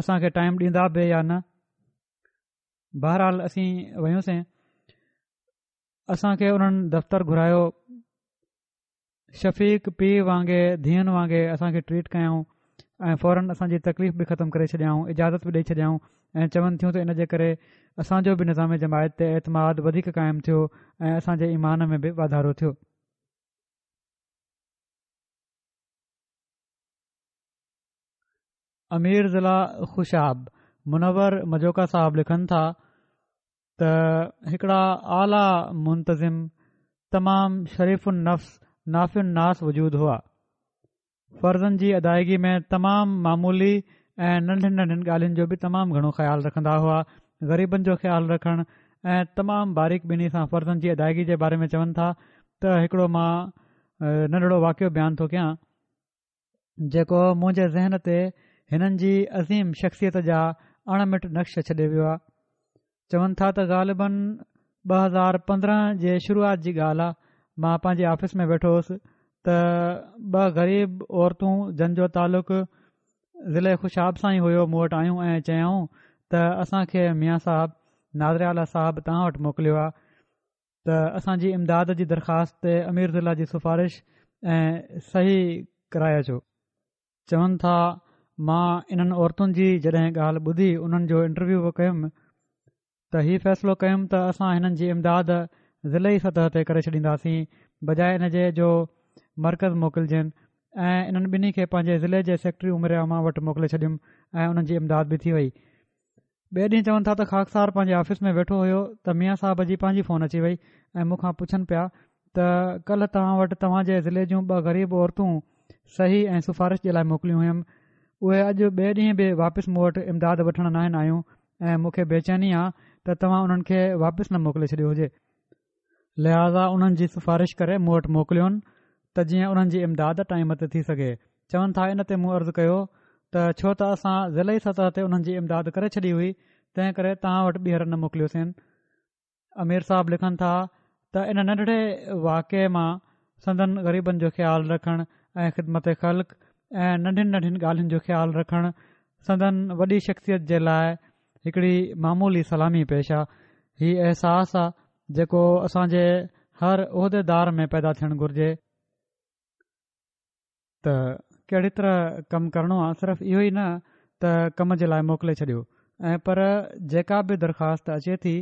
اسان کي ٽائيم ڏيندا به يا نه بهرحال اسين ويوسين اسان کي انهن دفتر گهرايو شفيق پيء وانگي ڌيئن وانگي اسان کي ٽريٽ ڪيائون ۽ فورن اسان جي تڪليف به ختم ڪري ڇڏيائون اجازت به ڏئي ڇڏيائون ۽ چون ٿيون ته ان جي ڪري اسان جو به نظام جماعت تي اعتماد وڌيڪ قائم ٿيو ۽ اسان جي ايمان ۾ به واڌارو ٿيو. امير ضلع خوشاب منور مجوڪا صاحب لکن ٿا ته هڪڙا اعليٰ منتظم تمام شريف النفس نافع الناس وجود هئا فرضن جي ادائگي ۾ تمام معمولي ۽ ننڍين ننڍين ڳالهين جو به تمام گهڻو خيال رکندا هئا غريبن جو خيال رکڻ ۽ تمام باريڪ بيني سان فرضن جي ادائگي جي باري ۾ چون ٿا ته هڪڙو مان ننڍڙو واقعو بيان ٿو ڪيان جيڪو منهنجي ذهن تي هنن جي عظيم شخصيت جا اڻ مٽ نقش ڇڏي ويو آهي چون ٿا ته غالباً 2015 جي شروعات جي ڳالهه آ مان پنهنجي آفيس ۾ ويٺو هوس ته ٻه غريب عورتون جن جو تعلق ضلعي خوشاب سان ئي هيو مون وٽ آيون ۽ چيائون ته اسان کي ميان صاحب ناظر اعليٰ صاحب توهان وٽ موڪليو آهي ته اسان جي امداد جي درخواست تي امير ضلع جي سفارش ۽ صحيح ڪرائي اچو. چون ٿا مان انهن عورتن جي جڏهن ڳالهه ٻڌي انهن جو انٽرويو به ڪيم ته هي فيصلو ڪيم ته اسان هنن جي امداد ضلعي سطح تي ڪري ڇڏينداسين بجاء ان جي جو مرڪز موڪلجن ۽ انهن ٻنهي کي پنهنجي ضلعي جي سيڪريٽري امور عامه وٽ موڪلي ڇڏيم ۽ انهن جي امداد به ٿي وئي. ٻئي ڏينهن چون ٿا ته خاڪسار پنهنجي آفيس ۾ ويٺو هيو ته ميان صاحب جي پنهنجي فون اچي وئي ۽ مون کان پڇن پيا ته ڪلهه توهان وٽ توهان جي ضلعي جون ٻه غريب عورتون صحيح ۽ سفارش جي لاء موڪليون هيم اهي اڄ ٻئي ڏينهن به واپس مون وٽ امداد وٺڻ ناهن آيون ۽ مون کي بيچيني آ ته توهان انهن کي واپس نه موڪلي ڇڏيو هجي. لهٰذا انهن جي سفارش ڪري مون وٽ موڪليون ته جيئن انهن جي امداد ٽائيم تي ٿي سگهي. چون ٿا ان تي مون عرض ڪيو ته ڇو ته اسان ضلعي سطح تي انهن جي امداد ڪري ڇڏي هئي تنهن ڪري توهان وٽ ٻيهر نه موڪليوسين. امير صاحب لکن ٿا ته ان ننڍڙي واقعي مان سندن غريبن جو خيال رکڻ ۽ خدمت خلق ۽ ننڍين ننڍين ڳالهين جو خيال رکڻ سندن وڏي شخصيت جي لاء هڪڙي معمولي سلامي پيش آ. هي احساس آ جيڪو اسان جي هر عهديدار ۾ پيدا ٿيڻ گهرجي. ته ڪهڙي طرح ڪم ڪرڻو آهي صرف اهو ئي نه ته ڪم جي لاء موڪلي ڇڏيو ۽ پر جيڪا به درخواست اچي ٿي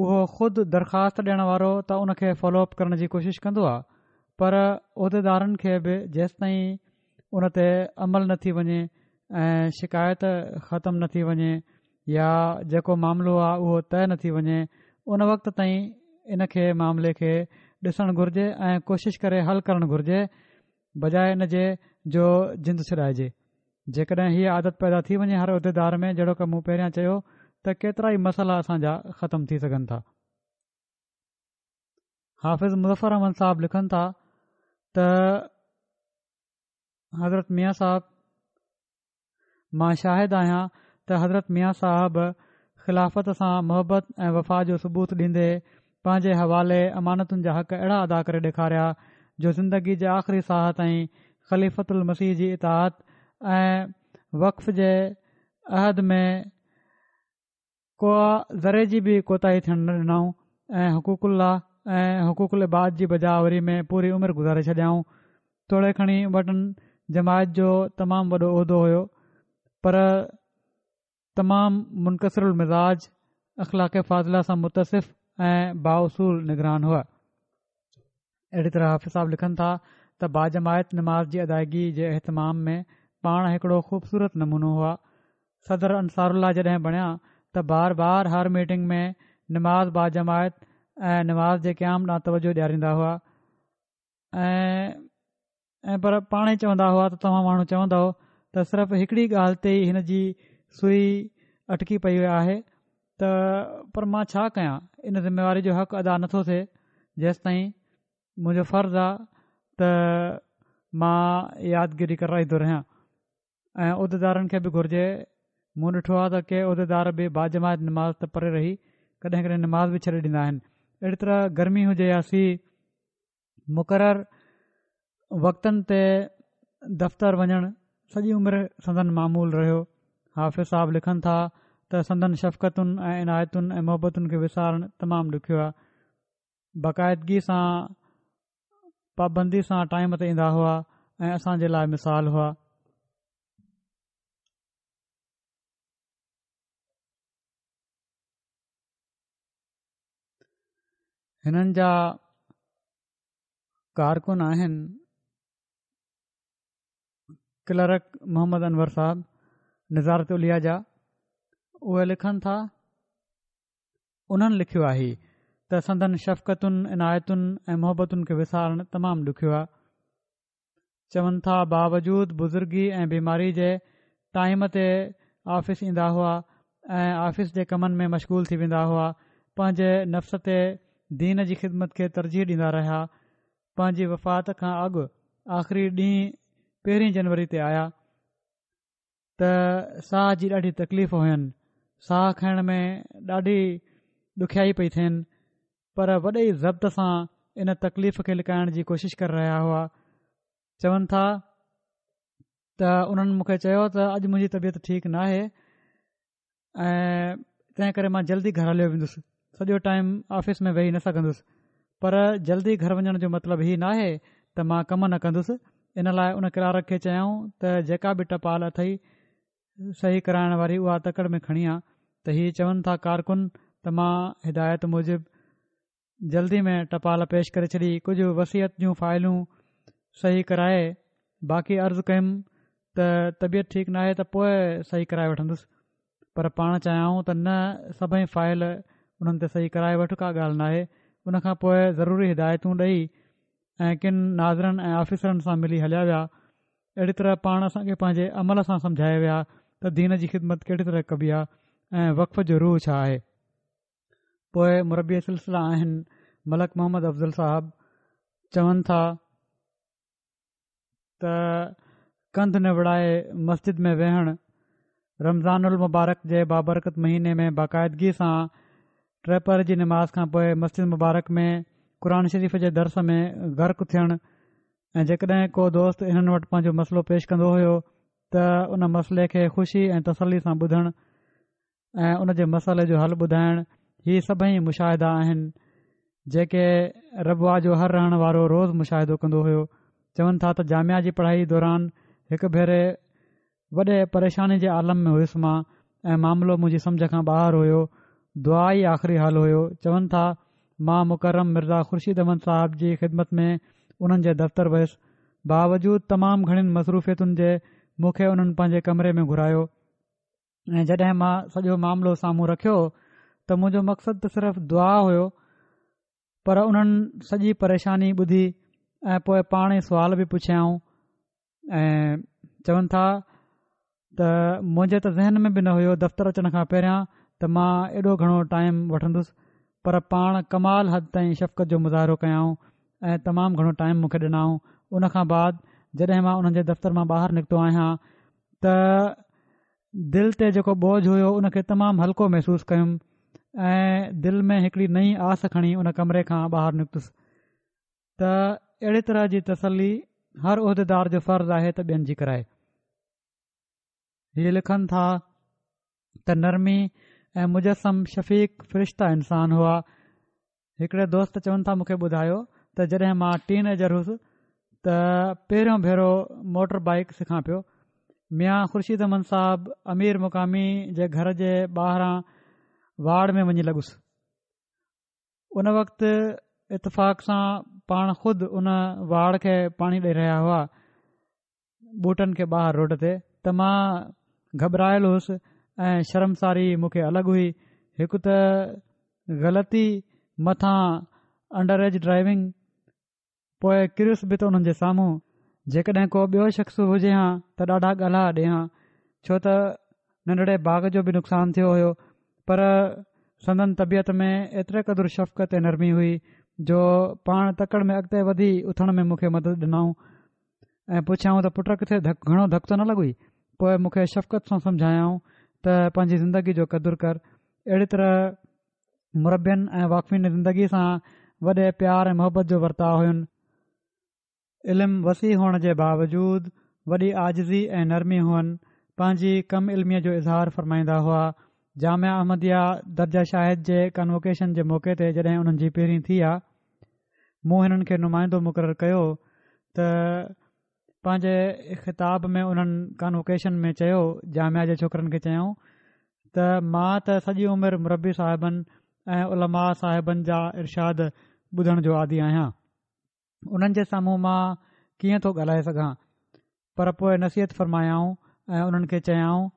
اهو خود درخواست ڏيڻ وارو ته ان کي فالو اپ ڪرڻ جي ڪوشش ڪندو آهي پر عهديدارن کي به جيستائين ان تي عمل نه ٿي وڃي ۽ شڪايت ختم نه ٿي وڃي يا جيڪو معاملو آهي اهو طئي نه ٿي وڃي ان وقت تائين ان کي معاملي کي ڏسڻ گهرجي ۽ ڪوشش ڪري حل ڪرڻ گهرجي بجاء ان جي جو جند ڇڏائجي. جيڪڏهن هيء عادت پيدا ٿي وڃي هر عهديدار ۾ جهڙوڪ مون پهريان چيو ته ڪيترائي مسئلا اسان جا ختم ٿي سگهن ٿا. حافظ مظفر احمد صاحب لکن ٿا ته حضرت ميان صاحب مان شاهد آهيان ته حضرت ميان صاحب خلافت سان محبت ۽ وفا جو ثبوت ڏيندي پنهنجي حوالي امانتن جا حق اهڙا ادا ڪري ڏيکاريا جو زندگي جي آخري ساهه تائين خليفة المسيح جي اطاعت ۽ وقف جي عهد ۾ ڪو ذري جي به ڪوتاهي ٿيڻ نه ڏنائون ۽ حقوق الله ۽ حقوق العباد جي بجا آوري ۾ پوري عمر گذاري ڇڏيائون. توڙي کڻي وٽن جماعت جو تمام وڏو عهدو هيو پر تمام منڪسر المزاج، اخلاق فاضله سان متصف ۽ بااصول نگران هئا. اهڙي طرح حافظ صاحب لکن ٿا ته باجماعت نماز جي ادائگي جي اهتمام ۾ پاڻ هڪڙو خوبصورت نمونو هئا. صدر انصار الله جڏهن بڻيا ته بار بار هر ميٽنگ ۾ نماز باجماعت ۽ نماز جي قيام ڏانهن توجهه ڏياريندا هئا ۽ ۽ پر پاڻ ئي چوندا هئا ته توهان ماڻهو چوندؤ ته صرف هڪڙي ڳالهه تي ئي هن جي سوئي اٽڪي پئي آهي ته پر مان ڇا ڪيان ان ذميواري جو حق ادا نٿو ٿئي جيستائين منهنجو فرض آ ته مان يادگيري ڪرائيندو رهيان ۽ عهديدارن کي به گهرجي مون ڏٺو آ ته ڪي عهديدار به باجماعت نماز ته پري رهي ڪڏهن ڪڏهن نماز به ڇڏي ڏيندا آهن اهڙي طرح گرمي هجي يا سيء مقرر وقتن تي دفتر وڃڻ سڄي عمر سندن معمول رهيو. حافظ صاحب لکن ٿا ته سندن شفقتن ۽ عنايتن ۽ محبتن کي وسارڻ تمام ڏکيو آهي. باقاعدگي سان پابندي سان ٽائيم تي ايندا هئا ۽ اسان جي لاء مثال هئا. هنن جا ڪارڪن آهن ڪلرڪ محمد انور صاحب نظارت عليا جا اهي لکن ٿا انهن لکيو آهي ته سندن شفقتن عنايتن ۽ محبتن کي وسارڻ تمام ڏکيو آهي چون ٿا باوجود بزرگي ۽ بيماري جي ٽائيم تي آفيس ايندا هئا ۽ آفيس جي ڪمن ۾ مشغول ٿي ويندا هئا پنهنجي نفس تي دين جي خدمت کي ترجيح ڏيندا رهيا پنهنجي وفات کان اڳ آخري ڏينهن پهرين جنوري تي آيا ته ساهه جي ڏاڍي تڪليف هين ساهه کڻڻ ۾ ڏاڍي ڏکيائي پئي ٿين پر وڏي ئي ضبط سان ان تڪليف کي لڪائڻ جي ڪوشش ڪري رهيا هئا. چون ٿا. ته انهن مون کي چيو ته اڄ منهنجي طبيعت ٺيڪ ناهي ۽ تنهن ڪري مان جلدي گهر هليو ويندس سڄو ٽائيم آفيس ۾ ويهي نه سگهندس پر جلدي گهر وڃڻ جو مطلب هي ناهي ته مان ڪم نه ڪندس ان لاء ان ڪلارڪ کي چيائون ته جيڪا به ٽپال اٿئي صحيح ڪرائڻ واري اها تڪڙ ۾ کڻي آ ته هي چون ٿا ڪارڪن ته مان هدايت موجب جلدي ۾ ٽپال پيش ڪري ڇڏي، ڪجهه وصيت جون فائلون صحيح ڪرائي باقي عرض ڪيم ته طبيعت ٺيڪ ناهي ته پوء صحيح ڪرائي وٺندس پر پاڻ چيائون ته نه سڀئي فائل انهن تي صحيح ڪرائي وٺ ڪا ڳالهه ناهي ان کان پوء ضروري هدايتون ڏئي ۽ ڪن ناظرن ۽ آفيسرن سان ملي هليا ويا اهڙي طرح پاڻ اسان کي پنهنجي عمل سان سمجهائي ويا ته دين جي خدمت ڪهڙي طرح ڪبي آهي ۽ وقف جو روح ڇا آهي. پوء مربي سلسله آهن ملڪ محمد افضل صاحب چون ٿا ته ڪنڌ نوڙائي مسجد ۾ ويهڻ رمضان المبارڪ جي بابرڪت مهيني ۾ باقاعدگي سان ٽيپهر جي نماز کان پوء مسجد مبارڪ ۾ قرآن شريف جي درس ۾ غرق ٿيڻ ۽ جيڪڏهن ڪو دوست انهن وٽ پنهنجو مسئلو پيش ڪندو هيو ته ان مسئلي کي خوشي ۽ تسلي سان ٻڌڻ ۽ ان جي مسئلي جو حل ٻڌائڻ هي سڀئي مشاهدا آهن جيڪي ربوه جو هر رهڻ وارو روز مشاهدو ڪندو هيو چون ٿا ته جامعه جي پڙهائي دوران هڪ ڀيري وڏي پريشاني جي عالم ۾ هيس مان ۽ معاملو منهنجي سمجهه کان ٻاهر هيو دعا ئي آخري حل هيو چون ٿا مان مڪرم مرزا خورشيد احمد صاحب جي خدمت ۾ انهن جي دفتر ويس باوجود تمام گهڻين مصروفيتن جي مون کي انهن پنهنجي ڪمري ۾ گهرايو ۽ جڏهن مان سڄو معاملو سامهون رکيو ته منهنجو مقصد ته صرف دعا هيو پر انهن سڄي پريشاني ٻڌي ۽ پوء پاڻ ئي سوال به پڇيائون ۽ چون ٿا ته منهنجي ته ذهن ۾ به نه هيو دفتر اچڻ کان پهريان ته مان ايڏو گهڻو ٽائيم وٺندس پر پاڻ ڪمال حد تائين شفقت جو مظاهرو ڪيائون ۽ تمام گهڻو ٽائيم مون کي ڏنائون ان کان بعد جڏهن مان انهن جي دفتر مان ٻاهر نڪتو آهيان ته دل تي جيڪو بوجه هيو ان کي تمام هلڪو محسوس ڪيم ۽ دل ۾ هڪڙي نئين آس کڻي ان ڪمري کان ٻاهر نڪتس ته اهڙي طرح جي تسلي هر عهديدار جو فرض آهي ته ٻين جي ڪرائي. هي لکن ٿا ته نرمي ۽ مجسم شفيق فرشته انسان هئا هڪڙي دوست چون ٿا مون کي ٻڌايو ته جڏهن مان ٽين ايجر هيس ته پهريون ڀيرو موٽر بائيڪ سکان پيو ميان خورشيد احمد صاحب امير مقامي جي گهر جي ٻاهران واڙ ۾ وڃي لڳس ان وقت اتفاق سان پاڻ خود ان واڙ کي پاڻي ڏئي رهيا هئا ٻوٽن کي ٻاهر روڊ تي ته مان گهٻرايل هيس ۽ شرمساري مون کي الڳ هئي هڪ ته غلطي مٿان انڊر ايج ڊرائيونگ پوء ڪريس به ته انهن جي سامهون جيڪڏهن ڪو ٻيو شخص هجي هان ته ڏاڍا ڳالها ڏي هان ڇو ته ننڍڙي باغ جو به نقصان ٿيو هيو پر سندن طبيعت ۾ ايتري قدر شفقت ۽ نرمي هئي جو پاڻ تڪڙ ۾ اڳتي وڌي اٿڻ ۾ مون کي مدد ڏنائون ۽ پڇيائون ته پٽ ڪٿي ڌڪ گهڻو ڌڪ ته نه لڳوئي پوء مون کي شفقت سان سمجهايائون ته پنهنجي زندگي جو قدر ڪر اهڙي طرح مربين ۽ واقفين زندگي سان وڏي پيار ۽ محبت جو ورتاء هين علم وسيع هئڻ جي باوجود وڏي عاجزي ۽ نرمي هئن، پنهنجي ڪم علميء جو اظهار فرمائيندا هئا. جامعه احمديه درجه شاهد جي ڪانووڪيشن جي موقعي تي جڏهن انهن جي پهرين ٿي آ، مون هنن کي نمائندو مقرر ڪيو ته پنهنجي خطاب ۾ انهن ڪانووڪيشن ۾ چيو، جامعه جي ڇوڪرن کي چيائون ته مان ته سڄي عمر مربي صاحبن ۽ علماء صاحبن جا ارشاد ٻڌڻ جو عادي آهيان. انهن جي سامهون مان ڪيئن ٿو ڳالهائي سگهان پر پوء نصيحت فرمايائون ۽ انهن کي چيائون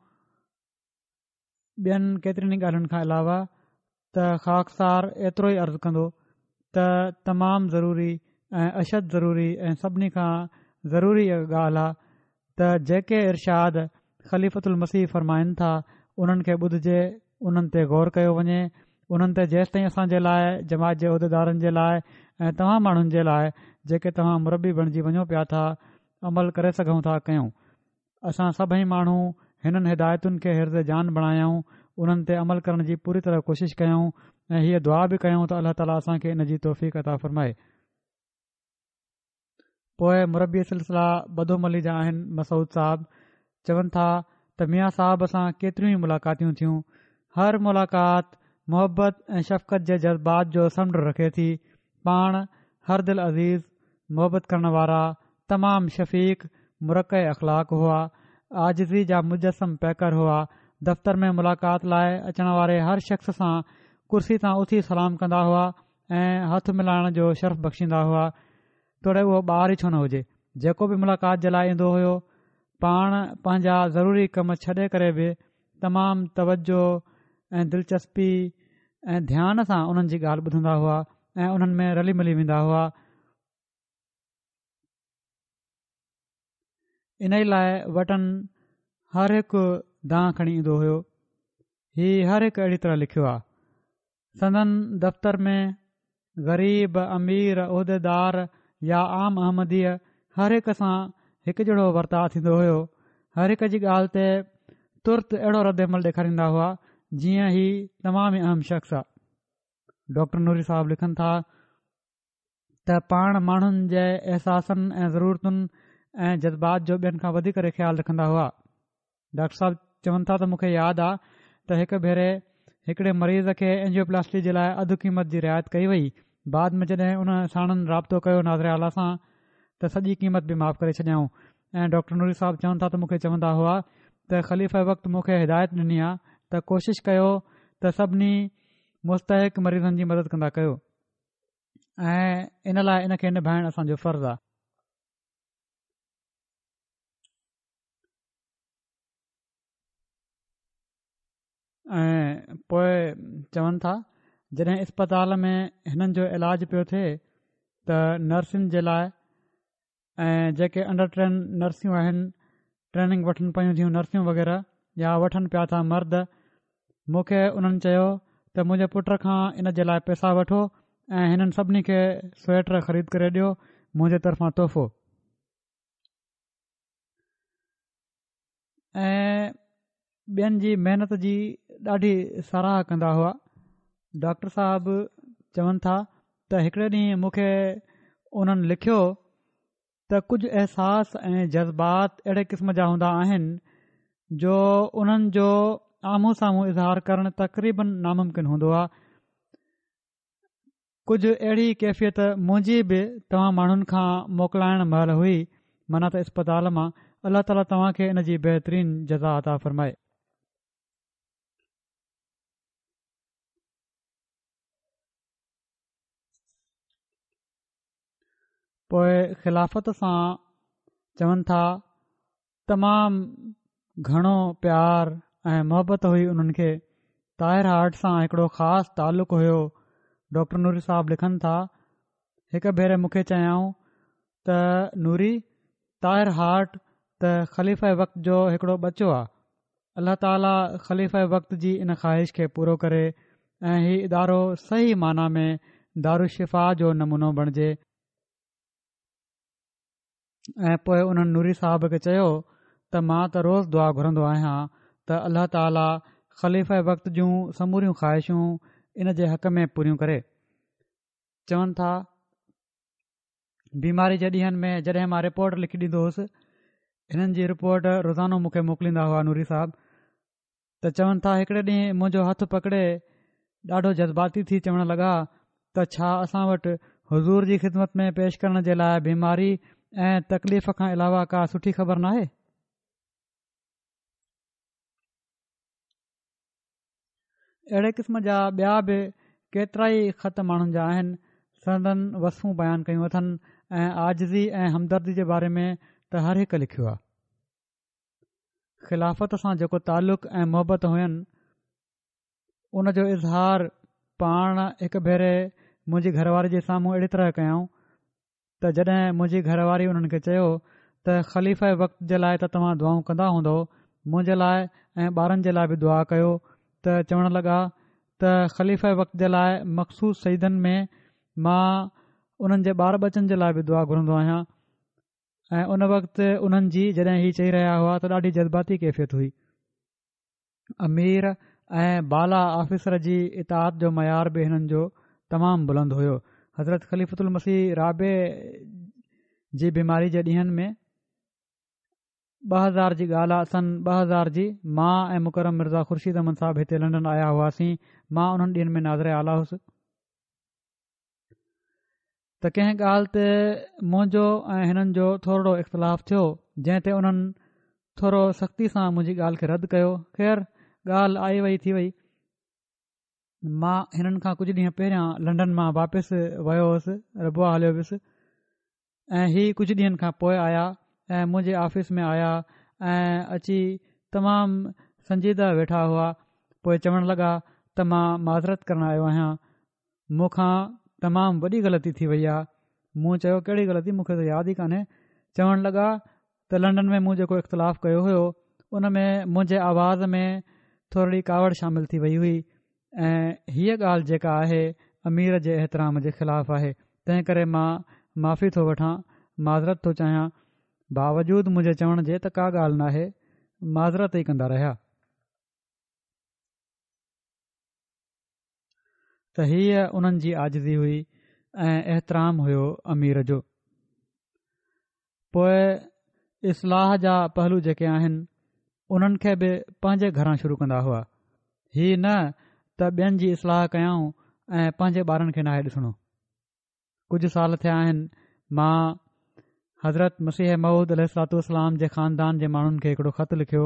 ٻين ڪيترين ئي ڳالهين کان علاوه ته خاڪسار ايترو ئي عرض ڪندو ته تمام ضروري ۽ اشد ضروري ۽ سڀني کان ضروري ڳالهه آ ته جيڪي ارشاد خليفة المسيح فرمائن ٿا انهن کي ٻڌجي، انهن تي غور ڪيو وڃي، انهن تي جيستائين اسان جي لاء، جماعت جي عهديدارن جي لاء ۽ توهان ماڻهن جي لاء جيڪي توهان مربي بڻجي وڃو پيا ٿا، عمل ڪري سگهون ٿا ڪيون. اسان سڀئي ماڻهو هنن هدايتن کي حرز جان بڻايون، انهن تي عمل ڪرڻ جي پوري طرح ڪوشش ڪيون ۽ هيء دعا به ڪيون ته الله تعاليٰ اسان کي ان جي توفيق عطا فرمائي. پوء مربي سلسله بدوملي جا آهن مسعود صاحب چون ٿا ته ميان صاحب سان ڪيتريون ئي ملاقاتيون ٿيون هر ملاقات محبت ۽ شفقت جي جذبات جو سمنڊ رکي ٿي پاڻ هر دل عزيز محبت ڪرڻ وارا تمام شفيق مرقع اخلاق هئا عاجزي جا مجسم پيڪر هئا دفتر ۾ ملاقات لاء اچڻ واري هر شخص سان ڪرسي تان اٿي سلام ڪندا هئا ۽ هٿ ملائڻ جو شرف بخشيندا هئا توڙي اهو ٻار ئي ڇو نه هجي، جيڪو به ملاقات جي لاء ايندو هيو، پاڻ پنهنجا ضروري ڪم ڇڏي ڪري به تمام توجه ۽ دلچسپي ۽ ڌيان سان انهن جي ڳالهه ٻڌندا هئا ۽ انهن ۾ رلي ملي ويندا هئا. انهي لاء وٽن هر هڪ دانهن کڻي ايندو هيو. هي هر هڪ اهڙي طرح لکيو آهي. سندن دفتر ۾ غريب، امير، عهديدار يا عام احمدي هر هڪ سان هڪجهڙو ورتاء ٿيندو هيو. هر هڪ جي ڳالهه تي ترت اهڙو رد عمل ڏيکاريندا هئا جيئن هي تمام ئي اهم شخص آ. ڊاڪٽر نوري صاحب لکن ٿا ته پاڻ ماڻهن جي احساسن ۽ ضرورتن ۽ جذبات جو ٻين کان وڌي ڪري خيال رکندا هئا. ڊاڪٽر صاحب چون ٿا ته مون کي ياد آ ته هڪ ڀيري هڪڙي مريض کي اينجيوپلاسٽي جي لاء اڌ قيمت جي رعايت ڪئي وئي بعد ۾ جڏهن ان ساڻن رابطو ڪيو ناظر اعليٰ سان ته سڄي قيمت به معاف ڪري ڇڏيائون ۽ ڊاڪٽر نوري صاحب چون ٿا ته مون کي چوندا هئا ته خليفه وقت مون کي هدايت ڏني آ ته ڪوشش ڪيو ته سڀني مستحق مريضن جي مدد ڪندا ڪيو ۽ ان لاء ان کي نڀائڻ اسان جو فرض آ. ۽ پوء چون ٿا جڏهن اسپتال ۾ هنن جو علاج پيو ٿئي ته نرسن جي لاء ۽ جيڪي انڊر ٽرين نرسيون آهن ٽريننگ وٺن پيون ٿيون نرسيون وغيره يا وٺن پيا ٿا مرد مون کي انهن چيو ته منهنجي پٽ کان ان جي لاء پئسا وٺو ۽ هنن سڀني کي سوئيٽر خريد ڪري ڏيو منهنجي طرفان تحفو ۽ ٻين جي محنت جي ڏاڍي ساراهه ڪندا هئا ڊاڪٽر صاحب چون ٿا ته هڪڙي ڏينهن مون کي انهن لکيو ته ڪجهه احساس ۽ جذبات اهڙي قسم جا هوندا آهن جو انهن جو آمهون سامهون اظهار ڪرڻ تقريبن ناممڪن هوندو آهي ڪجهه اهڙي ڪيفيت منهنجي به توهان ماڻهن کان موڪلائڻ مهل هئي، معنيٰ ته اسپتال مان، الله تعاليٰ توهان کي ان جي بهترين جزا عطا فرمائي. پوء خلافت سان چون ٿا تمام گهڻو پيار ۽ محبت هئي انهن کي طاهر هارٽ سان هڪڙو خاص تعلق هيو ڊاڪٽر نوري صاحب لکن ٿا هڪ ڀيري مون کي چيائون ته نوري طاهر هارٽ ته خليفه وقت جو هڪڙو ٻچو آ الله تعالي خليفه وقت جي ان خواهش کي پورو ڪري ۽ هي ادارو صحيح معنيٰ ۾ دارالشفا جو نمونو بڻجي ۽ پوء انهن نوري صاحب کي چيو ته مان ته روز دعا گهرندو آهيان ته الله تعالي خليفه وقت جون سموريون خواهشون ان جي حق ۾ پوريون ڪري. چون ٿا بيماري جي ڏينهن ۾ جڏهن مان رپورٽ لکي ڏيندو هوس هنن جي رپورٽ روزانو مون کي موڪليندا هئا نوري صاحب ته چون ٿا هڪڙي ڏينهن منهنجو هٿ پڪڙي ڏاڍو جذباتي ٿي چوڻ لڳا ته ڇا اسان وٽ حضور جي خدمت ۾ پيش ڪرڻ جي لاء بيماري ۽ تڪليف کان علاوه ڪا سٺي خبر ناهي؟ اهڙي قسم جا ٻيا به ڪيترائي خط ماڻهن جا آهن سندن وصفون بيان ڪيون اٿن ۽ عاجزي ۽ همدردي جي باري ۾ ته هر هڪ لکيو آهي. خلافت سان جيڪو تعلق ۽ محبت هين ان جو اظهار پاڻ هڪ ڀيري منهنجي گهر واري جي سامهون اهڙي طرح ڪيائون ته جڏهن منهنجي گهر واري انهن کي چيو ته خليفه وقت جي لاء ته توهان دعائون ڪندا هوندؤ منهنجي لاء ۽ ٻارن جي لاء به دعا ڪيو ته چوڻ لڳا ته خليفه وقت جي لاء مخصوص سجدن ۾ مان انهن جي ٻار ٻچن جي لاء به دعا گهرندو آهيان ۽ ان وقت انهن جي جڏهن هي چئي رهيا هئا ته ڏاڍي جذباتي ڪيفيت هئي. امير ۽ بالا آفيسر جي اطاعت جو معيار به هنن جو تمام بلند هيو. حضرت خليفة المسيح رابع جي بيماري جي ڏينهن ۾ 2000 جي ڳالهه آ سن 2000 جي مان ۽ مڪرم مرزا خورشيد احمد صاحب هتي لنڊن آيا هئاسين مان انهن ڏينهن ۾ ناظر اعليٰ هوس ته ڪنهن ڳالهه تي منهنجو ۽ هنن جو ٿورڙو اختلاف ٿيو جنهن تي انهن ٿورو سختي سان منهنجي ڳالهه کي رد ڪيو خير ڳالهه آئي وئي ٿي وئي مان هنن کان ڪجهه ڏينهن پهريان لنڊن مان واپس ويو هوس ربوه هليو ويس ۽ هي ڪجهه ڏينهن کان پوء آيا ۽ منهنجي آفيس ۾ آيا ۽ اچي تمام سنجيده ويٺا هئا پوء چوڻ لڳا ته مان معذرت ڪرڻ آيو آهيان مون کان تمام وڏي غلطي ٿي وئي آهي. مون چيو ڪهڙي غلطي مون کي ته ياد ئي ڪانهي. چوڻ لڳا ته لنڊن ۾ مون جيڪو اختلاف ڪيو هيو ان ۾ منهنجي آواز ۾ ٿورڙي ڪاوڙ شامل ٿي وئي هئي ۽ هيء ڳالهه جيڪا آهي امير جي احترام جي خلاف آهي تنهن ڪري مان معافي ٿو وٺان معذرت ٿو چاهيان باوجود منهنجي چوڻ جي ته ڪا ڳالهه ناهي معذرت ئي ڪندا رهيا. ته هيء انهن جي عاجزي هئي ۽ احترام هيو امير جو. پوء اصلاح جا پهلو جيڪي آهن انهن کي به پنهنجي گهران شروع ڪندا هئا. هي نه ته ٻين جي اصلاح ڪيائون ۽ پنهنجي ٻارن کي ناهي ڏسڻو. ڪجهه سال ٿيا آهن مان حضرت مسيح موعود عليه الصلوة والسلام جي خاندان جي ماڻهن کي هڪڙو خط لکيو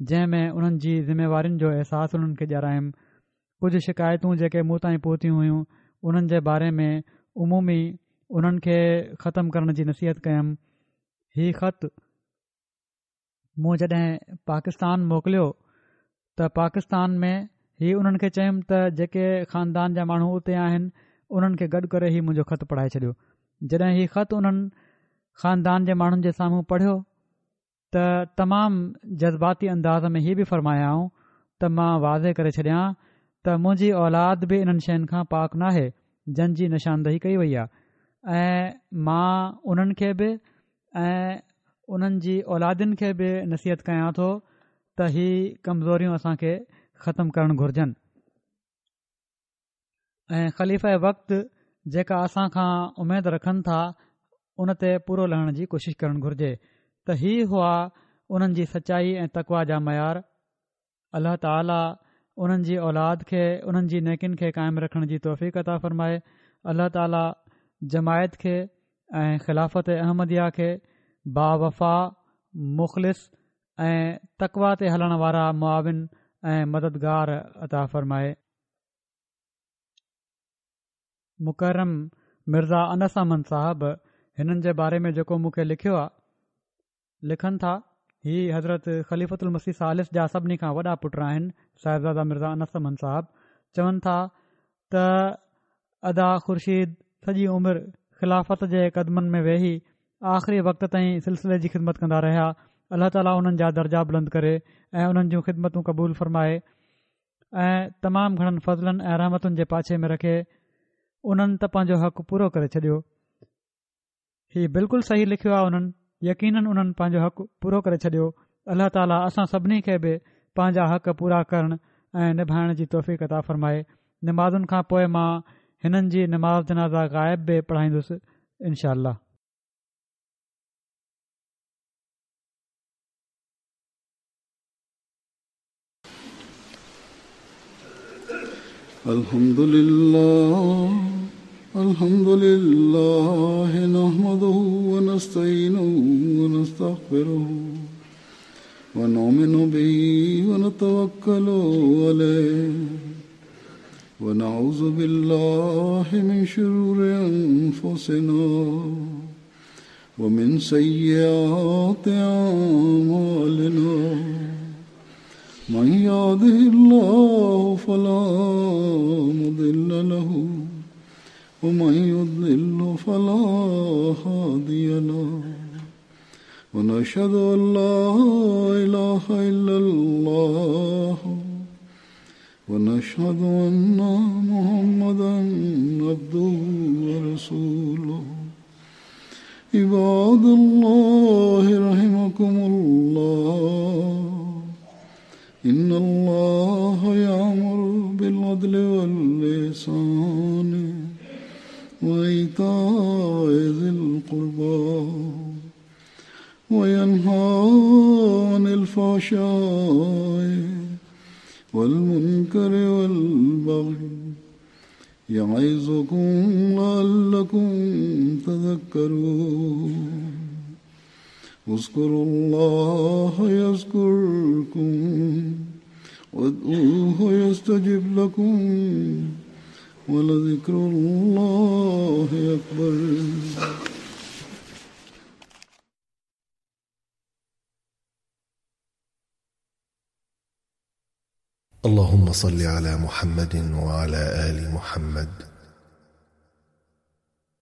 جنهن ۾ انهن جي ذميوارين جو احساس انهن کي ڏيارايم ڪجهه شڪايتون جيڪي مون تائين پهتيون هيون انهن جي باري ۾ عمومي انهن کي ختم ڪرڻ جي نصيحت ڪيم هي خط مون جڏهن پاڪستان موڪليو ته پاڪستان ۾ هي انهن کي چيم ته جيڪي خاندان جا ماڻهو اتي آهن انهن کي گڏ ڪري هي منهنجو خط پڙهائي ڇڏيو جڏهن هي خط انهن خاندان جي ماڻهن جي سامهون پڙهيو ته تمام جذباتي انداز ۾ هي به فرمايائون ته مان واضح ڪري ڇڏيان ته منهنجي اولاد به انهن شين کان پاڪ ناهي جن جي نشاندهي ڪئي وئي آهي ۽ مان انهن کي به ۽ انهن جي اولادن کي به نصيحت ڪيان ٿو ته هي ڪمزوريون اسان کي ختم ڪرڻ گهرجن ۽ خليفه وقت جيڪا اسان کان اميد رکن ٿا ان تي پورو لهڻ جي ڪوشش ڪرڻ گهرجي ته هي هئا انهن جي سچائي ۽ تقوا جا معيار الله تعالي انهن جي اولاد کي انهن جي نيڪين کي قائم رکڻ جي توفيق عطا فرمائي الله تعالي جماعت کي ۽ خلافت احمديه کي باوفا مخلص ۽ تقوا تي هلڻ وارا معاون ۽ مددگار عطا فرمائي مڪرم مرزا انس احمد صاحب هنن جي باري ۾ جيڪو مون کي لکيو آهي لکن ٿا، هي حضرت خليفة المسيح ثالث جا سڀني کان وڏا پٽ آهن، صاحبزاده مرزا انس احمد صاحب چون ٿا ته ادا خورشيد سڄي عمر خلافت جي قدمن ۾ ويهي آخري وقت تائين سلسلي جي خدمت ڪندا رهيا، الله تعاليٰ انهن جا درجا بلند ڪري ۽ انهن جون خدمتون قبول فرمائي ۽ تمام گهڻن فضلن ۽ رحمتن جي پاڇي ۾ رکي، انهن ته پنهنجو حق پورو ڪري ڇڏيو. هي بلڪل صحيح لکيو آهي انهن يقينن انهن پنهنجو حق پورو ڪري ڇڏيو الله تعالي اسان سڀني کي به پنهنجا حق پورا ڪرڻ ۽ نڀائڻ جي توفيق عطا فرمائي نمازن کان پوء مان هنن جي نماز جنازه غائب به پڙهائيندس انشاء الله. الحمد لله الحمد لله نحمده ونستعينه ونستغفره ونؤمن به ونتوكل عليه ونعوذ بالله من شرور أنفسنا ومن سيئات أعمالنا من يهده الله فلا مضل له ومن يضلل فلا هادي له ونشهد أن لا إله إلا الله ونشهد أن محمدا عبده ورسوله عباد الله رحمكم الله إن الله يأمر بالعدل واللسان وإيتاء ذي القربى وينهى عن الفحشاء والمنكر والبغي يعظكم لعلكم تذكرون. اذكروا الله يذكركم وادعوه يستجب لكم ولذكر الله أكبر. اللهم صل على محمد وعلى آل محمد.